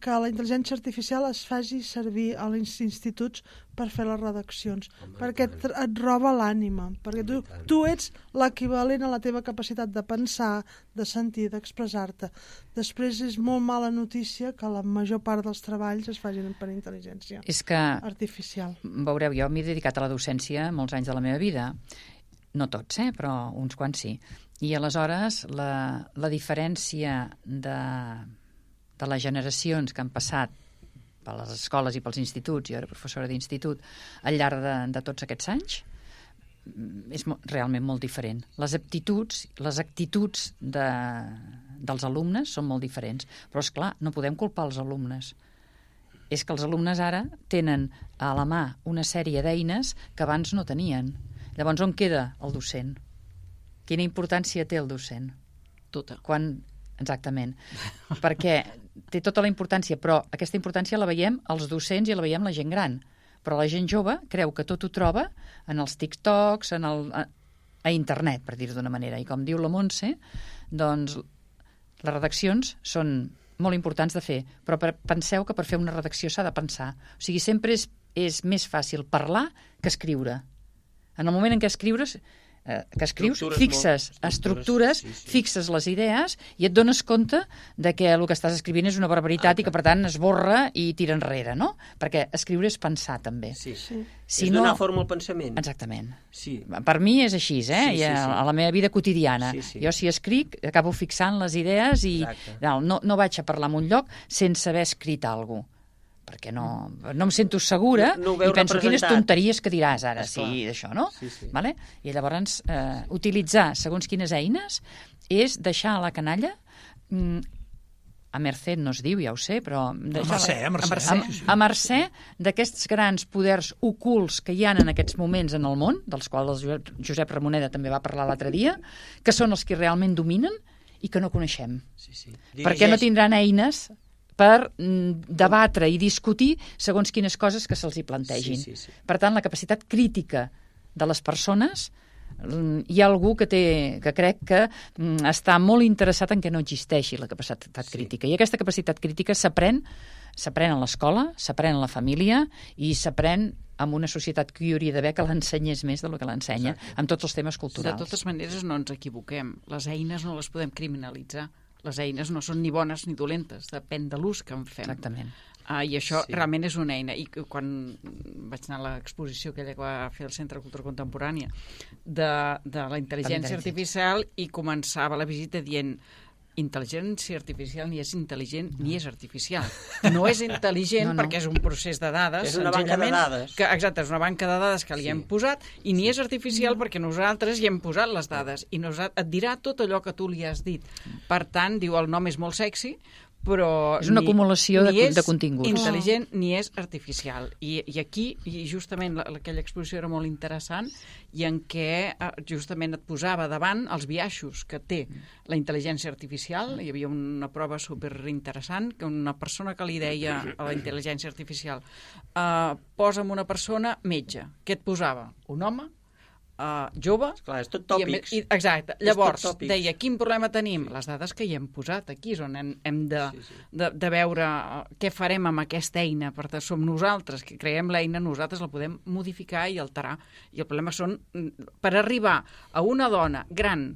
[SPEAKER 5] que la intel·ligència artificial es faci servir a els instituts per fer les redaccions, Home, perquè et, et roba l'ànima, perquè tu, tu ets l'equivalent a la teva capacitat de pensar, de sentir, d'expressar-te. Després és molt mala notícia que la major part dels treballs es facin per intel·ligència
[SPEAKER 8] és que,
[SPEAKER 5] artificial.
[SPEAKER 8] Veureu, jo m'he dedicat a la docència molts anys de la meva vida, no tots, eh, però uns quants sí, i aleshores la, la diferència de... de les generacions que han passat per les escoles i pels instituts, jo era professora d'institut, al llarg de, de tots aquests anys, és mo- realment molt diferent. Les aptituds, les actituds de, dels alumnes són molt diferents, però és clar, no podem culpar els alumnes. És que els alumnes ara tenen a la mà una sèrie d'eines que abans no tenien. Llavors, on queda el docent? Quina importància té el docent?
[SPEAKER 7] Tota.
[SPEAKER 8] Quan... Exactament, perquè té tota la importància, però aquesta importància la veiem els docents i la veiem la gent gran, però la gent jove creu que tot ho troba en els TikToks, en el, a, a internet, per dir-ho d'una manera, i com diu la Montse, doncs les redaccions són molt importants de fer, però per, penseu que per fer una redacció s'ha de pensar, o sigui, sempre és, és més fàcil parlar que escriure. En el moment en què escriures... que escrius,
[SPEAKER 6] estructures
[SPEAKER 8] fixes
[SPEAKER 6] molt,
[SPEAKER 8] estructures,
[SPEAKER 6] sí, sí. fixes
[SPEAKER 8] les idees i et dones compte de que el que estàs escrivint és una barbaritat ah, i que, per tant, esborra i tira enrere, no? Perquè escriure és pensar, també.
[SPEAKER 6] Sí, sí.
[SPEAKER 8] Si
[SPEAKER 6] és
[SPEAKER 8] no...
[SPEAKER 6] donar forma al pensament.
[SPEAKER 8] Exactament.
[SPEAKER 6] Sí.
[SPEAKER 8] Per mi és així, eh?
[SPEAKER 6] Sí, sí,
[SPEAKER 8] I a,
[SPEAKER 6] sí.
[SPEAKER 8] a la meva vida quotidiana.
[SPEAKER 6] Sí, sí.
[SPEAKER 8] Jo, si escric, acabo fixant les idees i no, no, no vaig a parlar en un lloc sense haver escrit alguna cosa, perquè no, no em sento segura
[SPEAKER 6] no, no
[SPEAKER 8] i penso quines tonteries que diràs ara,
[SPEAKER 6] Esclar.
[SPEAKER 8] sí, d'això, no?
[SPEAKER 6] Sí, sí.
[SPEAKER 8] Vale? I llavors, eh, utilitzar segons quines eines és deixar a la canalla mm, a mercè no es diu, ja ho sé, però...
[SPEAKER 4] A mercè, a mercè.
[SPEAKER 8] A, a, a mercè d'aquests grans poders ocults que hi ha en aquests moments en el món, dels quals el Josep, Josep Ramoneda també va parlar l'altre dia, que són els que realment dominen i que no coneixem.
[SPEAKER 6] Sí, sí.
[SPEAKER 8] Perquè no tindran eines per debatre i discutir segons quines coses que se'ls hi plantegin.
[SPEAKER 6] Sí, sí, sí.
[SPEAKER 8] Per tant, la capacitat crítica de les persones, hi ha algú que, té, que crec que està molt interessat en que no existeixi la capacitat
[SPEAKER 6] Sí.
[SPEAKER 8] crítica. I aquesta capacitat crítica s'aprèn s'aprèn a l'escola, s'aprèn a la família i s'aprèn amb una societat que hi hauria d'haver que l'ensenyés més del que l'ensenya, amb tots els temes culturals.
[SPEAKER 7] De totes maneres, no ens equivoquem. Les eines no les podem criminalitzar. Les eines no són ni bones ni dolentes, depèn de l'ús que en fem.
[SPEAKER 8] Exactament.
[SPEAKER 7] Ah, I això
[SPEAKER 6] Sí.
[SPEAKER 7] realment és una eina. I quan vaig anar a l'exposició aquella que va fer el Centre de Cultura Contemporània de, de la intel·ligència artificial, i començava la visita dient intel·ligència artificial ni és intel·ligent ni és artificial. No és intel·ligent
[SPEAKER 8] no, no.
[SPEAKER 7] perquè és un procés de dades.
[SPEAKER 6] És una banca de
[SPEAKER 7] senzillament,
[SPEAKER 6] dades.
[SPEAKER 7] Que, exacte, és una banca de dades que li
[SPEAKER 6] Sí.
[SPEAKER 7] hem posat, i ni és artificial perquè nosaltres hi hem posat les dades, i nosaltres, et dirà tot allò que tu li has dit. Per tant, diu, el nom és molt sexy, però
[SPEAKER 8] És una
[SPEAKER 7] ni,
[SPEAKER 8] acumulació de,
[SPEAKER 7] ni és
[SPEAKER 8] de continguts.
[SPEAKER 7] intel·ligent ni és artificial. I, i aquí, i justament la, aquella exposició era molt interessant, i en què eh, justament et posava davant els biaixos que té la intel·ligència artificial. Hi havia una prova superinteressant, que una persona que li deia a la intel·ligència artificial eh, posa'm una persona metge. Què et posava? Un home? Uh, jove.
[SPEAKER 6] Clar, és tot
[SPEAKER 7] I a
[SPEAKER 6] tòpics.
[SPEAKER 7] més- I, exacte.
[SPEAKER 6] És
[SPEAKER 7] Llavors,
[SPEAKER 6] tot tòpics.
[SPEAKER 7] deia, quin problema tenim? Les dades que hi hem posat aquí és on hem, hem de,
[SPEAKER 6] Sí, sí.
[SPEAKER 7] de, de veure uh, què farem amb aquesta eina. Per tant, som nosaltres que creem l'eina, nosaltres la podem modificar i alterar. I el problema són, mm, per arribar a una dona gran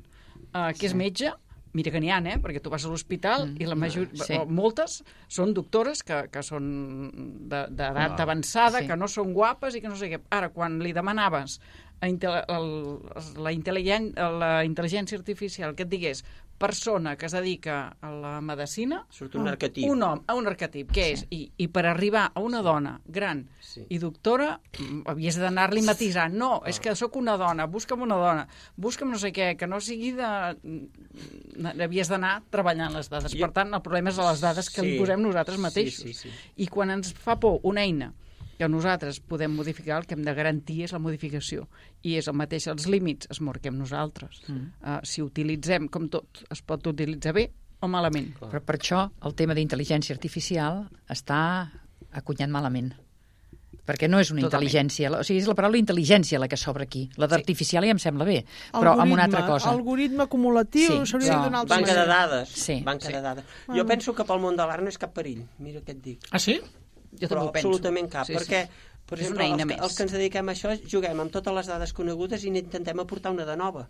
[SPEAKER 7] uh, que és metge, mira que n'hi ha, eh? Perquè tu vas a l'hospital mm, i la major...
[SPEAKER 8] sí.
[SPEAKER 7] o moltes són doctores que, que són d'edat
[SPEAKER 6] Ah,
[SPEAKER 7] avançada,
[SPEAKER 8] sí.
[SPEAKER 7] que no són guapes i que no sé què. Ara, quan li demanaves a intel el, la, intel·ligent, la intel·ligència artificial que et digués persona que es dedica a la medicina...
[SPEAKER 6] Surt un arquetip.
[SPEAKER 7] Un home, un arquetip, què és? I, I per arribar a una dona gran sí. i doctora, havies d'anar-li matisant. No, és que sóc una dona, busca'm una dona, busca'm no sé què, que no sigui de... Havies d'anar treballant les dades. Jo... Per tant, el problema és les dades que sí. li posem nosaltres mateixos. Sí, sí, sí. I quan ens fa por una eina que nosaltres podem modificar, el que hem de garantir és la modificació. I és el mateix, els límits es marquem nosaltres. Mm. Uh, si utilitzem, com tot, es pot utilitzar bé o malament.
[SPEAKER 8] Però per això el tema d'intel·ligència artificial està acunyat malament. Perquè no és una Totalment. intel·ligència, o sigui, és la paraula intel·ligència la que s'obre aquí. La d'artificial sí. ja em sembla bé, però
[SPEAKER 5] algoritme,
[SPEAKER 8] amb una altra cosa.
[SPEAKER 5] Algoritme acumulatiu, sí, s'hauria de donar altra
[SPEAKER 6] Banca de dades.
[SPEAKER 8] Sí.
[SPEAKER 6] Banca
[SPEAKER 8] sí.
[SPEAKER 6] de dades. Jo ah. penso que pel món de l'art no és cap perill, mira què et dic.
[SPEAKER 4] Ah, sí?
[SPEAKER 7] Jo
[SPEAKER 6] però
[SPEAKER 7] també ho penso.
[SPEAKER 6] Absolutament cap, sí, perquè,
[SPEAKER 7] sí.
[SPEAKER 6] per
[SPEAKER 7] és
[SPEAKER 6] exemple,
[SPEAKER 7] una eina
[SPEAKER 6] els,
[SPEAKER 7] més.
[SPEAKER 6] els que ens dediquem a això juguem amb totes les dades conegudes i intentem aportar una de nova,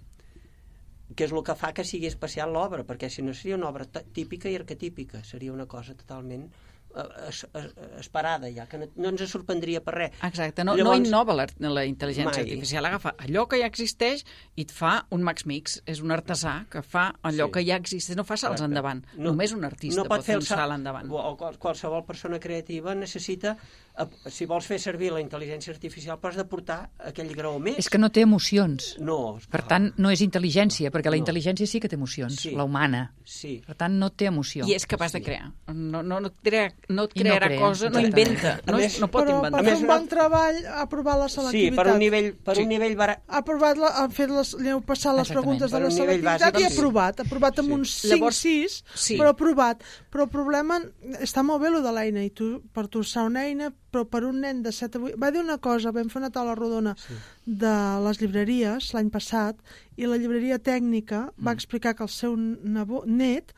[SPEAKER 6] que és el que fa que sigui especial l'obra, perquè si no seria una obra típica i arquetípica, seria una cosa totalment Es, es, esperada ja, que no, no ens sorprendria per res.
[SPEAKER 7] Exacte, no,
[SPEAKER 6] Llavors,
[SPEAKER 7] no innova la, la intel·ligència
[SPEAKER 6] mai.
[SPEAKER 7] artificial, agafa allò que ja existeix i et fa un Max Mix, és un artesà que fa allò sí. que ja existeix, no fa salts
[SPEAKER 6] Exacte.
[SPEAKER 7] endavant,
[SPEAKER 6] no,
[SPEAKER 7] només un artista
[SPEAKER 6] no pot, pot fer un salt,
[SPEAKER 7] salt endavant.
[SPEAKER 6] O qual, qualsevol persona creativa necessita, si vols fer servir la intel·ligència artificial, pots d'aportar aquell grau més.
[SPEAKER 8] És que no té emocions.
[SPEAKER 6] No.
[SPEAKER 8] Per tant, no és intel·ligència, perquè la
[SPEAKER 6] no.
[SPEAKER 8] intel·ligència sí que té emocions,
[SPEAKER 6] sí.
[SPEAKER 8] la humana.
[SPEAKER 6] Sí.
[SPEAKER 8] Per tant, no té emoció.
[SPEAKER 7] I és capaç
[SPEAKER 6] sí.
[SPEAKER 7] de crear. No, no, no, crea, no et crearà
[SPEAKER 8] no crea,
[SPEAKER 7] cosa, no inventa, no,
[SPEAKER 6] més,
[SPEAKER 7] no pot
[SPEAKER 5] però,
[SPEAKER 7] inventar.
[SPEAKER 5] Però per fer un bon treball ha aprovat la selectivitat.
[SPEAKER 6] Sí, per un nivell, per
[SPEAKER 5] sí.
[SPEAKER 6] un nivell bara...
[SPEAKER 5] Ha aprovat, la, ha fet les, li heu passat les preguntes de la selectivitat
[SPEAKER 6] bàsic,
[SPEAKER 5] i ha aprovat. Ha aprovat amb sí. uns cinc sis, sí. però ha aprovat. Però el problema, està molt bé lo de l'eina, i tu, per tu serà una eina, però per un nen de set a vuit... Va dir una cosa, vam fer una taula rodona sí. de les llibreries l'any passat, i la llibreria tècnica mm. va explicar que el seu nebot, net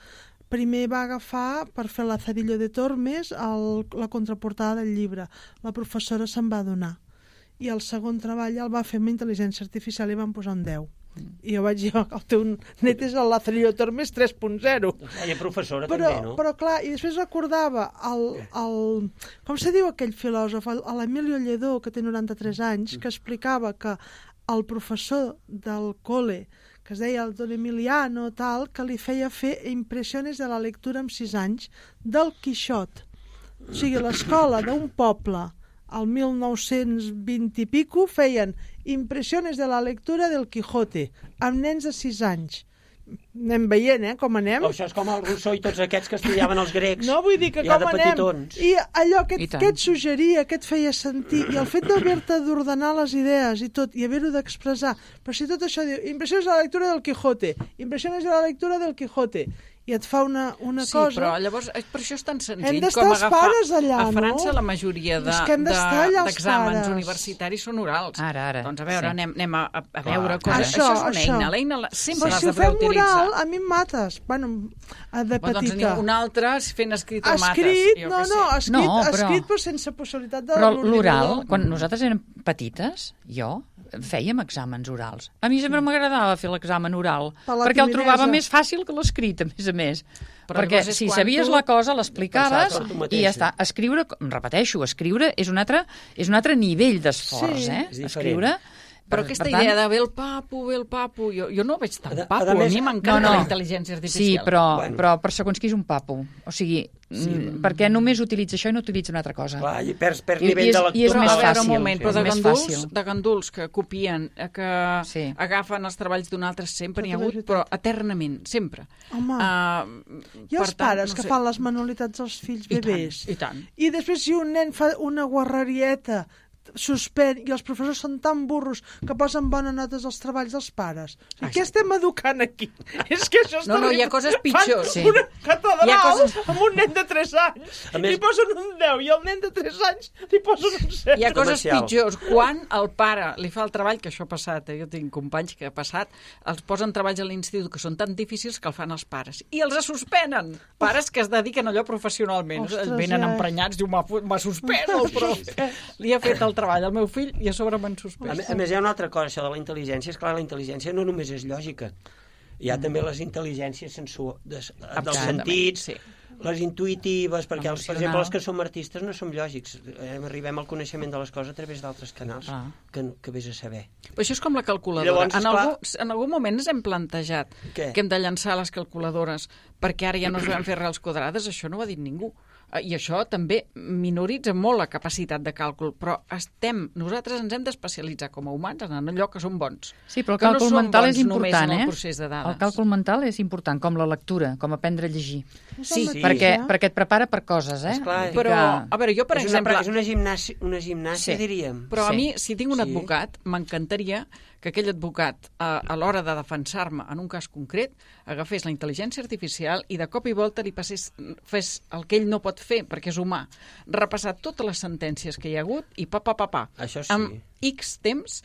[SPEAKER 5] primer va agafar per fer la Cedillo de Tormes el, la contraportada del llibre. La professora se'n va donar. I el segon treball el va fer amb intel·ligència artificial i van posar un deu. Mm. I jo vaig dir, el teu net és el Cedillo de Tormes tres punt zero.
[SPEAKER 6] Hi ha professora
[SPEAKER 5] però,
[SPEAKER 6] també, no?
[SPEAKER 5] Però clar, i després recordava el, el, com se diu aquell filòsof, l'Emilio Lledó, que té noranta-tres anys, que explicava que el professor del col·le, que es deia el Don Emiliano, tal, que li feia fer impressions de la lectura amb sis anys del Quixot. O sigui, l'escola d'un poble al mil nou-cents vint i pico feien impressions de la lectura del Quijote amb nens de sis anys. Anem veient, eh, com anem.
[SPEAKER 6] O això és com el Rousseau i tots aquests que estudiaven els grecs.
[SPEAKER 5] No, vull dir que
[SPEAKER 6] ja
[SPEAKER 5] com anem.
[SPEAKER 6] petitons.
[SPEAKER 5] I allò que, et, que et suggeria, que et feia sentir, i el fet d'haver-te d'ordenar les idees i tot, i haver-ho d'expressar, però si tot això diu, impressions de la lectura del Quijote, impressions de la lectura del Quijote, i et fa una, una
[SPEAKER 7] sí,
[SPEAKER 5] cosa...
[SPEAKER 7] Sí, però llavors per això és tan senzill
[SPEAKER 5] hem d'estar
[SPEAKER 7] com
[SPEAKER 5] els
[SPEAKER 7] agafar...
[SPEAKER 5] pares allà,
[SPEAKER 7] a França
[SPEAKER 5] no?
[SPEAKER 7] la majoria de, d'exàmens de, universitaris són orals.
[SPEAKER 8] Ara, ara.
[SPEAKER 7] Doncs a veure, sí. anem, anem a, a veure
[SPEAKER 5] coses.
[SPEAKER 7] Això,
[SPEAKER 5] això
[SPEAKER 7] és una
[SPEAKER 5] això.
[SPEAKER 7] eina. L'eina la, sempre l'has
[SPEAKER 5] si
[SPEAKER 7] de poder utilitzar.
[SPEAKER 5] Oral, a mi em mates. Bueno, de petita.
[SPEAKER 7] Doncs un altre fent escrit o mates.
[SPEAKER 5] Escrit, no, no, escrit,
[SPEAKER 8] no, però...
[SPEAKER 5] escrit però sense possibilitat de...
[SPEAKER 8] Però l'oral, quan nosaltres érem petites, jo... fèiem exàmens orals. A mi sempre m'agradava fer l'examen oral, per perquè el trobava més fàcil que l'escrit, a més a més. Però perquè si sabies tu... la cosa, l'explicaves i ja està. Escriure, repeteixo, escriure és un altre, és un altre nivell d'esforç,
[SPEAKER 5] sí,
[SPEAKER 8] eh? Escriure...
[SPEAKER 7] Però per, aquesta per idea tant... de ve el papo, ve el papo, jo, jo no veig tan papo, a, a, més, a mi m'encanta no, no. la intel·ligència artificial.
[SPEAKER 8] Sí, però, bueno. però per segons qui és un papo. O sigui, sí. m, perquè només utilitza això i no utilitza una altra cosa.
[SPEAKER 6] Clar, i perds, perds I, nivell i és, de lectura.
[SPEAKER 8] I és més fàcil.
[SPEAKER 7] Un moment, però de ganduls, de ganduls que copien, que
[SPEAKER 8] sí.
[SPEAKER 7] agafen els treballs d'un altre, sempre n'hi ha hagut, però eternament, sempre.
[SPEAKER 5] Home, uh, i els tant, pares no que sé. fan les manualitats dels fills bebès.
[SPEAKER 7] I tant, i tant.
[SPEAKER 5] I després si un nen fa una guarrerieta suspèn, i els professors són tan burros que posen bones notes als treballs dels pares. O sigui, què estem educant aquí? És que això és
[SPEAKER 7] no, no, hi ha coses pitjors.
[SPEAKER 5] Fan sí. una catedral
[SPEAKER 7] coses...
[SPEAKER 5] amb un nen de tres anys i més... li posen un deu, i el nen de tres anys li posen un set.
[SPEAKER 7] Hi ha coses pitjors. Quan el pare li fa el treball, que això ha passat, eh? Jo tinc companys que ha passat, els posen treballs a l'institut que són tan difícils que el fan els pares. I els suspenen. Pares que es dediquen a allò professionalment. Ostres, venen ja. emprenyats, diu, m'ha suspès el profe. Li ha fet el treball al meu fill i a sobre m'han suspès.
[SPEAKER 6] A, a més, hi ha una altra cosa, això de la intel·ligència. És clar, la intel·ligència no només és lògica. Hi ha mm. també les intel·ligències sensu... des, dels sentits, sí. les intuïtives, perquè, els, per
[SPEAKER 7] Emocional.
[SPEAKER 6] exemple, els que som artistes no som lògics. Eh, arribem al coneixement de les coses a través d'altres canals
[SPEAKER 7] Ah.
[SPEAKER 6] que, que vés a saber.
[SPEAKER 7] Però això és com la calculadora.
[SPEAKER 6] Llavors,
[SPEAKER 7] en,
[SPEAKER 6] esclar-
[SPEAKER 7] algun, en algun moment ens hem plantejat
[SPEAKER 6] Què?
[SPEAKER 7] que hem de llançar les calculadores perquè ara ja no es van fer arrels quadrades, això no ho ha dit ningú. Eh, I això també minoritza molt la capacitat de càlcul, però estem, nosaltres ens hem d'especialitzar com a humans en allò que som bons.
[SPEAKER 8] Sí, però el
[SPEAKER 7] Que no
[SPEAKER 8] càlcul
[SPEAKER 7] som
[SPEAKER 8] mental
[SPEAKER 7] bons
[SPEAKER 8] és
[SPEAKER 7] només
[SPEAKER 8] important,
[SPEAKER 7] en el
[SPEAKER 8] eh?
[SPEAKER 7] procés de dades.
[SPEAKER 8] El càlcul mental és important, com la lectura, com aprendre a llegir.
[SPEAKER 7] Sí,
[SPEAKER 6] Sí.
[SPEAKER 8] Perquè,
[SPEAKER 5] eh?
[SPEAKER 8] perquè et prepara per coses, eh?
[SPEAKER 6] Esclar,
[SPEAKER 8] Vull dir
[SPEAKER 7] Però, a veure, jo, per
[SPEAKER 6] és,
[SPEAKER 7] exemple...
[SPEAKER 6] una, és una gimnàsia, una gimnàsia
[SPEAKER 8] Sí.
[SPEAKER 6] diríem.
[SPEAKER 7] Però a
[SPEAKER 8] Sí.
[SPEAKER 7] mi, si tinc un
[SPEAKER 6] Sí.
[SPEAKER 7] advocat, m'encantaria que aquell advocat, a, a l'hora de defensar-me en un cas concret, agafés la intel·ligència artificial i de cop i volta li passés, fes el que ell no pot fer, perquè és humà, repassar totes les sentències que hi ha hagut i pa, pa, pa, pa.
[SPEAKER 6] Això sí.
[SPEAKER 7] Amb X temps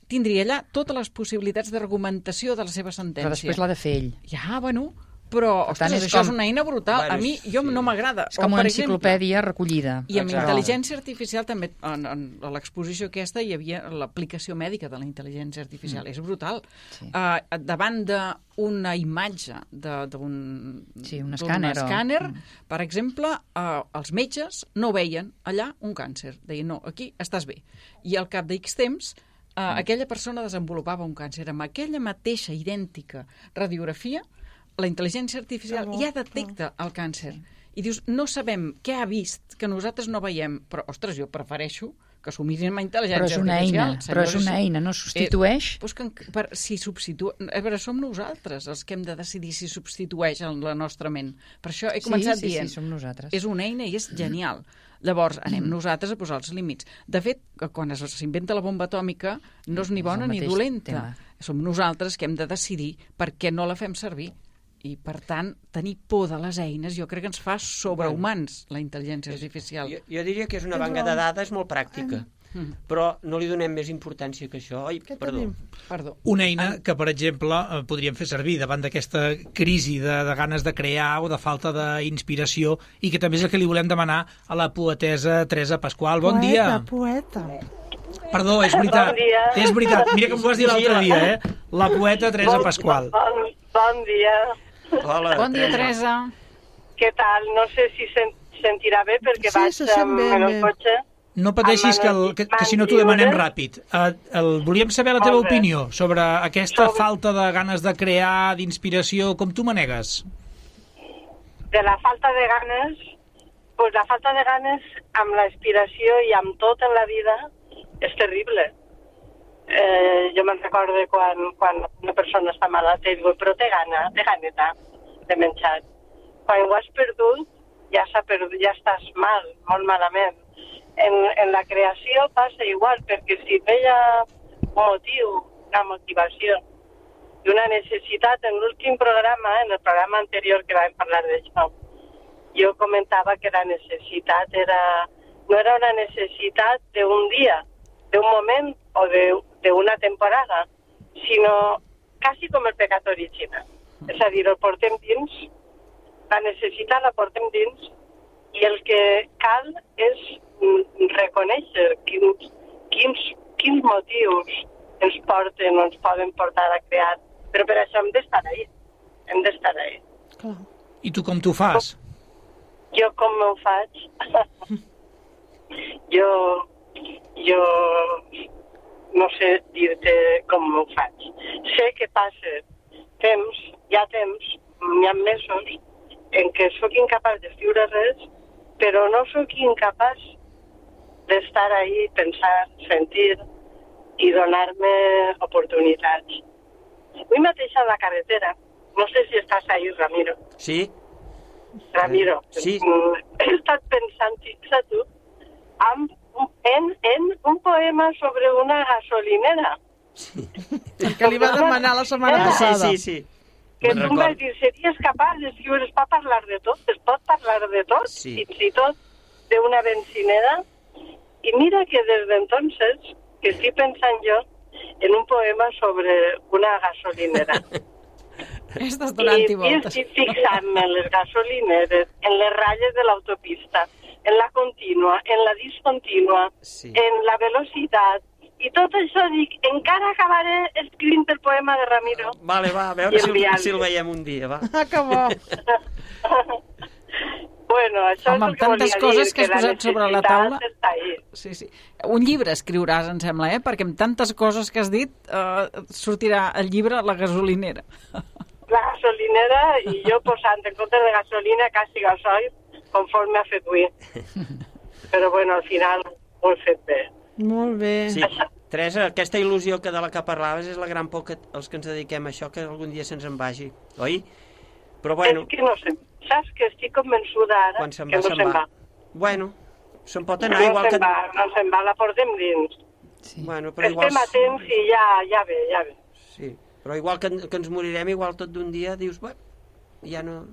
[SPEAKER 7] tindria allà totes les possibilitats d'argumentació de la seva sentència.
[SPEAKER 8] Però després l'ha de fer ell.
[SPEAKER 7] Ja, bueno, però,
[SPEAKER 8] Per tant,
[SPEAKER 7] ostres,
[SPEAKER 8] és
[SPEAKER 7] això
[SPEAKER 8] com-
[SPEAKER 7] és una eina brutal.
[SPEAKER 6] Bueno,
[SPEAKER 7] a mi, jo
[SPEAKER 6] sí.
[SPEAKER 7] no m'agrada.
[SPEAKER 8] És com
[SPEAKER 7] O,
[SPEAKER 8] una
[SPEAKER 7] per exemple,
[SPEAKER 8] enciclopèdia recollida.
[SPEAKER 7] i amb
[SPEAKER 6] Exacte.
[SPEAKER 7] intel·ligència artificial també, en, en, a l'exposició aquesta hi havia l'aplicació mèdica de la intel·ligència artificial. Mm. És brutal.
[SPEAKER 8] Sí.
[SPEAKER 7] Uh, davant d'una imatge de- d'un
[SPEAKER 8] Sí, un
[SPEAKER 7] d'un
[SPEAKER 8] escàner o-
[SPEAKER 7] escàner,
[SPEAKER 8] Mm.
[SPEAKER 7] per exemple, uh, els metges no veien allà un càncer. Deien, no, aquí estàs bé. I al cap d'X temps, uh, mm. aquella persona desenvolupava un càncer. Amb aquella mateixa, idèntica radiografia, la intel·ligència artificial
[SPEAKER 5] Ah, bo,
[SPEAKER 7] ja detecta el càncer. I dius, no sabem què ha vist, que nosaltres no veiem, però, ostres, jo prefereixo que s'ho mirin amb intel·ligència
[SPEAKER 8] Però és una
[SPEAKER 7] artificial.
[SPEAKER 8] eina, però és
[SPEAKER 7] senyors.
[SPEAKER 8] una eina, no substitueix.
[SPEAKER 7] Eh, doncs que, per, si substitu... A veure, som nosaltres els que hem de decidir si substitueix en la nostra ment. Per això he
[SPEAKER 8] Sí,
[SPEAKER 7] començat
[SPEAKER 8] sí, sí,
[SPEAKER 7] dient,
[SPEAKER 8] som nosaltres.
[SPEAKER 7] és una eina i és genial. Llavors, anem nosaltres a posar els límits. De fet, que quan es- s'inventa la bomba atòmica, no és ni
[SPEAKER 8] És
[SPEAKER 7] bona
[SPEAKER 8] el
[SPEAKER 7] ni
[SPEAKER 8] mateix
[SPEAKER 7] dolenta.
[SPEAKER 8] tema.
[SPEAKER 7] Som nosaltres que hem de decidir per què no la fem servir. I, per tant, tenir por de les eines jo crec que ens fa sobrehumans, la intel·ligència artificial.
[SPEAKER 6] Jo, jo diria que és una
[SPEAKER 5] Tens
[SPEAKER 6] banca
[SPEAKER 5] raó.
[SPEAKER 6] de dades molt pràctica,
[SPEAKER 7] Mm.
[SPEAKER 6] però no li donem més importància que això. Ai,
[SPEAKER 5] Què
[SPEAKER 6] perdó.
[SPEAKER 5] tenim?
[SPEAKER 7] Perdó.
[SPEAKER 4] Una eina que, per exemple, eh, podríem fer servir davant d'aquesta crisi de, de ganes de crear o de falta d'inspiració, i que també és el que li volem demanar a la poetessa Teresa Pasqual. Bon dia.
[SPEAKER 5] Poeta, poeta.
[SPEAKER 4] Perdó, és veritat.
[SPEAKER 11] Bon dia.
[SPEAKER 4] És veritat. Mira com ho vas dir l'altre dia, eh? La poeta Teresa
[SPEAKER 11] Bon-
[SPEAKER 4] Pasqual.
[SPEAKER 11] Bon, bon dia.
[SPEAKER 6] Hola,
[SPEAKER 7] Bon dia, Teresa.
[SPEAKER 11] Què tal? No sé si se'n sentirà bé perquè
[SPEAKER 5] Sí,
[SPEAKER 11] vaig
[SPEAKER 5] se sent
[SPEAKER 11] amb-
[SPEAKER 5] bé,
[SPEAKER 11] en el
[SPEAKER 5] bé.
[SPEAKER 11] cotxe.
[SPEAKER 4] No pateixis, que, el, que, que si no t'ho demanem ràpid. Uh, el, volíem saber la teva
[SPEAKER 11] Molt bé.
[SPEAKER 4] opinió sobre aquesta
[SPEAKER 11] Sobre-
[SPEAKER 4] falta de ganes de crear, d'inspiració, com tu manegues.
[SPEAKER 11] De la falta de ganes, pues la falta de ganes amb la inspiració i amb tot en la vida és terrible. Eh, jo me'n recordo quan, quan una persona està malalta i diu, però té gana, té ganeta de menjar. Quan ho has perdut, ja s'ha perdut, ja estàs mal, molt malament. En, en la creació passa igual, perquè si no hi ha un motiu, una motivació i una necessitat, en l'últim programa, en el programa anterior que vam parlar d'això, jo comentava que la necessitat era, no era una necessitat d'un dia, d'un moment o d'una temporada, sinó quasi com el pecat original. És a dir, el portem dins, la necessitat la portem dins, i el que cal és reconèixer quins, quins, quins motius ens porten o ens poden portar a crear. Però per això hem d'estar ahí. Hem d'estar ahí.
[SPEAKER 5] Clar.
[SPEAKER 4] I tu com t'ho fas?
[SPEAKER 11] Jo com m'ho faig? jo, jo no sé dir-te com m'ho faig. Sé que passa temps, hi ha temps, hi ha mesos, en què sóc incapaç d'escriure res, però no sóc incapaç d'estar ahí, pensar, sentir i donar-me oportunitats. Avui mateix a la carretera, no sé si estàs ahí, Ramiro.
[SPEAKER 6] Sí?
[SPEAKER 11] Ramiro,
[SPEAKER 6] Sí.
[SPEAKER 11] he estat pensant, fixa tu, amb, en, en un poema sobre una gasolinera.
[SPEAKER 5] El que li va demanar la setmana
[SPEAKER 6] Ah, sí,
[SPEAKER 5] passada.
[SPEAKER 6] sí, sí.
[SPEAKER 11] Que
[SPEAKER 6] Me'n
[SPEAKER 11] tu em vas
[SPEAKER 6] recordo.
[SPEAKER 11] dir, series capaç d'escriure, es pot parlar de tot, es pot parlar de tot,
[SPEAKER 6] Sí.
[SPEAKER 11] fins i tot d'una benzinera. I mira que des d'entonces, que estic pensant jo en un poema sobre una gasolinera.
[SPEAKER 7] Estàs
[SPEAKER 11] I,
[SPEAKER 7] donant-hi
[SPEAKER 11] i
[SPEAKER 7] voltes.
[SPEAKER 11] estic fixant-me en les gasolineres, en les ratlles de l'autopista, en la contínua, en la discontínua,
[SPEAKER 6] Sí.
[SPEAKER 11] en la velocitat. I tot això dic, encara acabaré escrivint el poema de Ramiro.
[SPEAKER 6] Vale, va, a veure
[SPEAKER 11] I
[SPEAKER 6] si, el-
[SPEAKER 11] enviant-li.
[SPEAKER 6] si el veiem un dia, va.
[SPEAKER 5] Ah, que bo.
[SPEAKER 11] Bueno, això
[SPEAKER 7] Home,
[SPEAKER 11] és el
[SPEAKER 7] amb
[SPEAKER 11] que
[SPEAKER 7] tantes
[SPEAKER 11] volia
[SPEAKER 7] coses
[SPEAKER 11] dir,
[SPEAKER 7] que has
[SPEAKER 11] la
[SPEAKER 7] posat sobre la taula.
[SPEAKER 11] necessitat està ahí.
[SPEAKER 7] Sí, sí. Un llibre escriuràs, em sembla, eh? Perquè amb tantes coses que has dit eh, sortirà el llibre La gasolinera.
[SPEAKER 11] La gasolinera i jo posant en compte de gasolina quasi gasoil conforme ha fet avui. Però bueno, al final ho he fet bé.
[SPEAKER 5] Molt bé.
[SPEAKER 6] Sí, Teresa, aquesta il·lusió que de la que parlaves és la gran por que els que ens dediquem a això, que algun dia se'ns en vagi, oi? Però bueno...
[SPEAKER 11] És que no sé, saps que estic convençuda ara
[SPEAKER 6] quan se'n
[SPEAKER 11] que
[SPEAKER 6] va,
[SPEAKER 11] no se'n va.
[SPEAKER 6] va. Bueno, se'n pot anar
[SPEAKER 11] No
[SPEAKER 6] igual
[SPEAKER 11] se'n
[SPEAKER 6] que...
[SPEAKER 11] va, no se'n va, la portem dins.
[SPEAKER 8] Sí.
[SPEAKER 6] Bueno, però igual...
[SPEAKER 11] Estem a temps i ja, ja ve, ja ve.
[SPEAKER 6] Sí, però igual que, que ens morirem, igual tot d'un dia dius, bueno, ja no...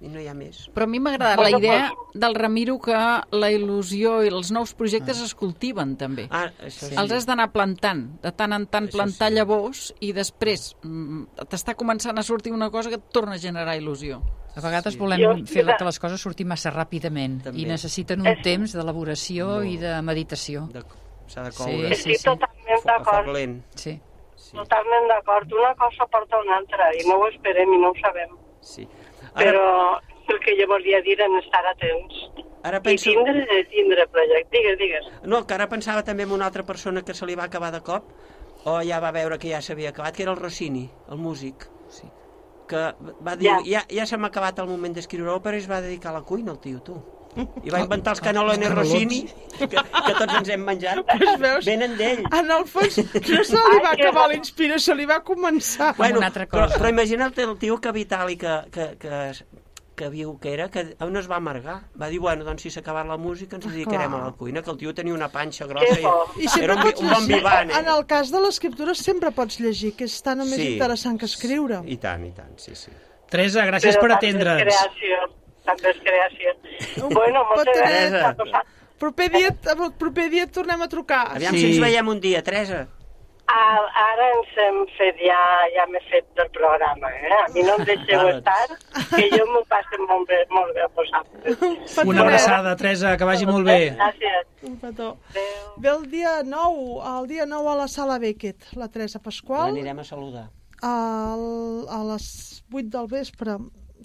[SPEAKER 6] i no hi ha més.
[SPEAKER 7] Però a mi m'ha agradat la idea del Ramiro que la il·lusió i els nous projectes es cultiven també.
[SPEAKER 6] Ah, això sí.
[SPEAKER 7] Els has d'anar plantant, de tant en tant
[SPEAKER 6] Això
[SPEAKER 7] plantar
[SPEAKER 6] sí.
[SPEAKER 7] llavors i després mm, t'està començant a sortir una cosa que et torna a generar il·lusió.
[SPEAKER 8] A vegades
[SPEAKER 6] Sí.
[SPEAKER 8] volem
[SPEAKER 11] Jo-
[SPEAKER 8] fer que les coses surtin massa ràpidament
[SPEAKER 6] També.
[SPEAKER 8] i necessiten un temps d'elaboració i de meditació.
[SPEAKER 6] De... S'ha de
[SPEAKER 8] Sí,
[SPEAKER 6] coure.
[SPEAKER 8] sí,
[SPEAKER 11] Estic
[SPEAKER 8] sí.
[SPEAKER 11] totalment
[SPEAKER 6] A foc
[SPEAKER 11] d'acord,
[SPEAKER 6] lent.
[SPEAKER 8] Sí.
[SPEAKER 6] Sí.
[SPEAKER 11] totalment d'acord. Una cosa porta una altra i no ho esperem i no ho sabem.
[SPEAKER 6] Sí. Ara,
[SPEAKER 11] Però el que jo volia dir en estar atents.
[SPEAKER 6] ara
[SPEAKER 11] I
[SPEAKER 6] penso...
[SPEAKER 11] tindre, tindre projecte. Digues, digues.
[SPEAKER 6] No, que ara pensava també en una altra persona que se li va acabar de cop, o ja va veure que ja s'havia acabat, que era el Rossini, el músic. Sí. Que va dir,
[SPEAKER 11] Ja.
[SPEAKER 6] ja, ja se m'ha acabat el moment d'escriure òpera i es va dedicar a la cuina, el tio, tu. I va inventar els canelones Rossini, que, que tots ens hem menjat.
[SPEAKER 5] Pues veus,
[SPEAKER 6] Venen d'ell.
[SPEAKER 5] en el fons no se li va
[SPEAKER 11] Ai, que
[SPEAKER 5] acabar
[SPEAKER 11] bo.
[SPEAKER 5] la inspiració, se li va començar.
[SPEAKER 8] Bueno, una altra
[SPEAKER 6] però,
[SPEAKER 8] cosa.
[SPEAKER 6] però imagina't el tio que Vitali, que, que, que, que viu que era, que on es va amargar. Va dir, bueno, doncs si s'ha acabat la música ens dedicarem
[SPEAKER 5] Clar.
[SPEAKER 6] a la cuina, que el tio tenia una panxa grossa
[SPEAKER 11] Que bo.
[SPEAKER 6] i,
[SPEAKER 5] I sempre
[SPEAKER 6] era un, vi-
[SPEAKER 5] pots
[SPEAKER 6] un bon
[SPEAKER 5] llegir,
[SPEAKER 6] vivant, eh?
[SPEAKER 5] en el cas de l'escriptura sempre pots llegir, que és tan o més
[SPEAKER 6] Sí.
[SPEAKER 5] interessant que escriure.
[SPEAKER 6] I tant, i tant, sí, sí.
[SPEAKER 4] Teresa, gràcies per
[SPEAKER 11] Però
[SPEAKER 4] atendre'ns.
[SPEAKER 11] també és creació. També és creació. Bueno, moltes
[SPEAKER 5] Pot tenir-
[SPEAKER 11] gràcies a vosaltres.
[SPEAKER 5] Proper dia, el proper dia et tornem a trucar.
[SPEAKER 6] Aviam
[SPEAKER 4] Sí.
[SPEAKER 6] si ens veiem un dia, Teresa.
[SPEAKER 11] Ah, ara ens hem fet ja, ja m'he fet del programa, eh? A mi no em deixeu
[SPEAKER 6] Ara.
[SPEAKER 11] estar, que jo m'ho passo molt bé, molt bé a vosaltres.
[SPEAKER 4] Una abraçada, Teresa, que vagi molt bé.
[SPEAKER 11] Gràcies.
[SPEAKER 5] Un petó.
[SPEAKER 11] Adéu.
[SPEAKER 5] Ve el dia nou, el dia nou a la Sala Beckett, la Teresa Pasqual,
[SPEAKER 6] L'anirem a saludar.
[SPEAKER 5] al, a les vuit del vespre.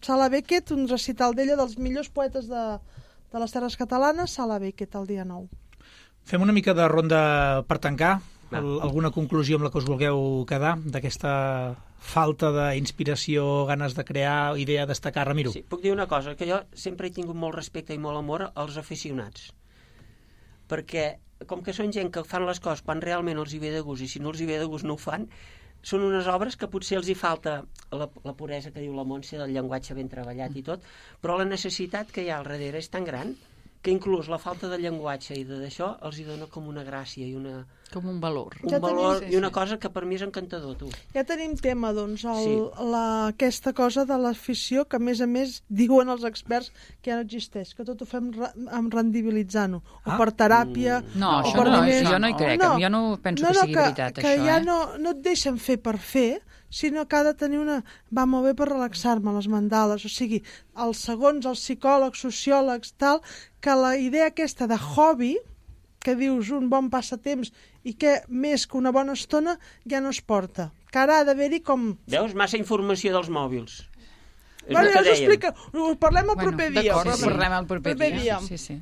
[SPEAKER 5] Sala Beckett, un recital d'ella dels millors poetes de, de les terres catalanes, Sala Beckett, el dia nou.
[SPEAKER 4] Fem una mica de ronda per tancar.
[SPEAKER 6] Va.
[SPEAKER 4] Al, alguna conclusió amb la que us vulgueu quedar d'aquesta falta d'inspiració, ganes de crear, idea de destacar, Ramiro?
[SPEAKER 6] Sí, puc dir una cosa, que jo sempre he tingut molt respecte i molt amor als aficionats. Perquè, com que són gent que fan les coses quan realment els hi ve de gust, i si no els hi ve de gust no ho fan, són unes obres que potser els hi falta la, la puresa que diu la Montse, del llenguatge ben treballat i tot, però la necessitat que hi ha al darrere és tan gran que inclús la falta de llenguatge i d'això els hi dona com una gràcia i una,
[SPEAKER 7] Com un valor.
[SPEAKER 6] un
[SPEAKER 5] Ja
[SPEAKER 6] valor
[SPEAKER 5] tenim-
[SPEAKER 6] i una cosa que per mi és encantador, tu.
[SPEAKER 5] Ja tenim tema, doncs, el,
[SPEAKER 6] Sí.
[SPEAKER 5] la, aquesta cosa de l'afició que, a més a més, diuen els experts que ja no existeix, que tot ho fem re, amb rendibilitzant-ho, o
[SPEAKER 4] Ah.
[SPEAKER 5] per teràpia,
[SPEAKER 8] No,
[SPEAKER 5] o
[SPEAKER 8] això
[SPEAKER 5] per
[SPEAKER 8] no,
[SPEAKER 5] diners.
[SPEAKER 8] jo no hi crec, jo no penso
[SPEAKER 5] no,
[SPEAKER 8] que
[SPEAKER 5] no,
[SPEAKER 8] sigui veritat,
[SPEAKER 5] que
[SPEAKER 8] això,
[SPEAKER 5] ja
[SPEAKER 8] eh?
[SPEAKER 5] no, no et deixen fer per fer, sinó que ha de tenir una... Va molt bé per relaxar-me, les mandales, o sigui, els segons, els psicòlegs, sociòlegs, tal, que la idea aquesta de hobby, que dius un bon passatemps i que més que una bona estona ja no es porta. Que ara ha d'haver-hi com...
[SPEAKER 6] Veus? Massa informació dels mòbils. És
[SPEAKER 5] Bueno,
[SPEAKER 6] el
[SPEAKER 5] ja
[SPEAKER 6] que
[SPEAKER 5] us
[SPEAKER 6] dèiem.
[SPEAKER 5] explica, ho parlem el
[SPEAKER 7] Bueno,
[SPEAKER 5] proper dia.
[SPEAKER 7] d'acord,
[SPEAKER 5] però-
[SPEAKER 7] sí, sí. Parlem el proper dia.
[SPEAKER 8] Sí, sí.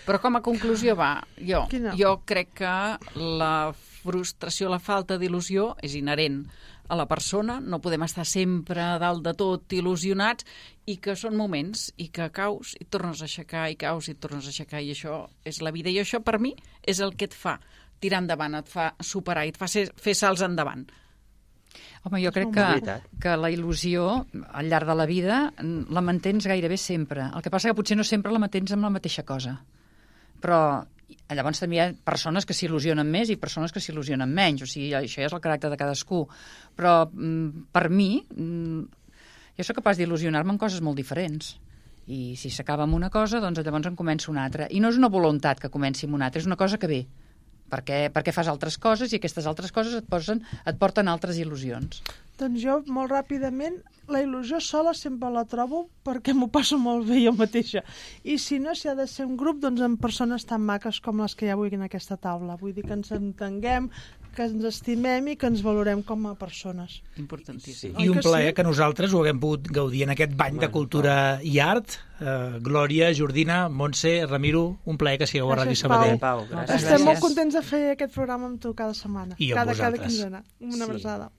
[SPEAKER 7] Però com a conclusió va, jo,
[SPEAKER 5] Quina?
[SPEAKER 7] jo crec que la frustració, la falta d'il·lusió és inherent a la persona, no podem estar sempre a dalt de tot il·lusionats i que són moments i que caus i et tornes a aixecar i caus i et tornes a aixecar i això és la vida i això per mi és el que et fa tirar endavant, et fa superar i et fa ser, fer salts endavant.
[SPEAKER 8] Home, jo crec
[SPEAKER 6] És
[SPEAKER 8] que,
[SPEAKER 6] veritat.
[SPEAKER 8] que la il·lusió al llarg de la vida mm, la mantens gairebé sempre. El que passa que potser no sempre la mantens amb la mateixa cosa. Però llavors també hi ha persones que s'il·lusionen més i persones que s'il·lusionen menys. O sigui, això ja és el caràcter de cadascú. Però mm, per mi, mm, jo sóc capaç d'il·lusionar-me en coses molt diferents. I si s'acaba amb una cosa, doncs llavors en començo una altra. I no és una voluntat que comenci amb una altra, és una cosa que ve. Perquè, perquè fas altres coses i aquestes altres coses et, posen, et porten altres il·lusions.
[SPEAKER 5] Doncs jo, molt ràpidament, la il·lusió sola sempre la trobo perquè m'ho passo molt bé jo mateixa. I si no, si ha de ser un grup, doncs amb persones tan maques com les que hi ha avui en aquesta taula. Vull dir que ens entenguem, que ens estimem i que ens valorem com a persones.
[SPEAKER 7] Importantíssim.
[SPEAKER 4] I un plaer que nosaltres ho haguem pogut gaudir en aquest bany de cultura i art. Uh, Glòria, Jordina, Montse, Ramiro, un plaer que sigueu a Ràdio Sabadell.
[SPEAKER 6] Pau, gràcies.
[SPEAKER 5] Estem molt contents de fer aquest programa amb tu cada setmana.
[SPEAKER 4] I amb
[SPEAKER 5] cada, cada
[SPEAKER 4] vosaltres.
[SPEAKER 5] quinzena. Una abraçada.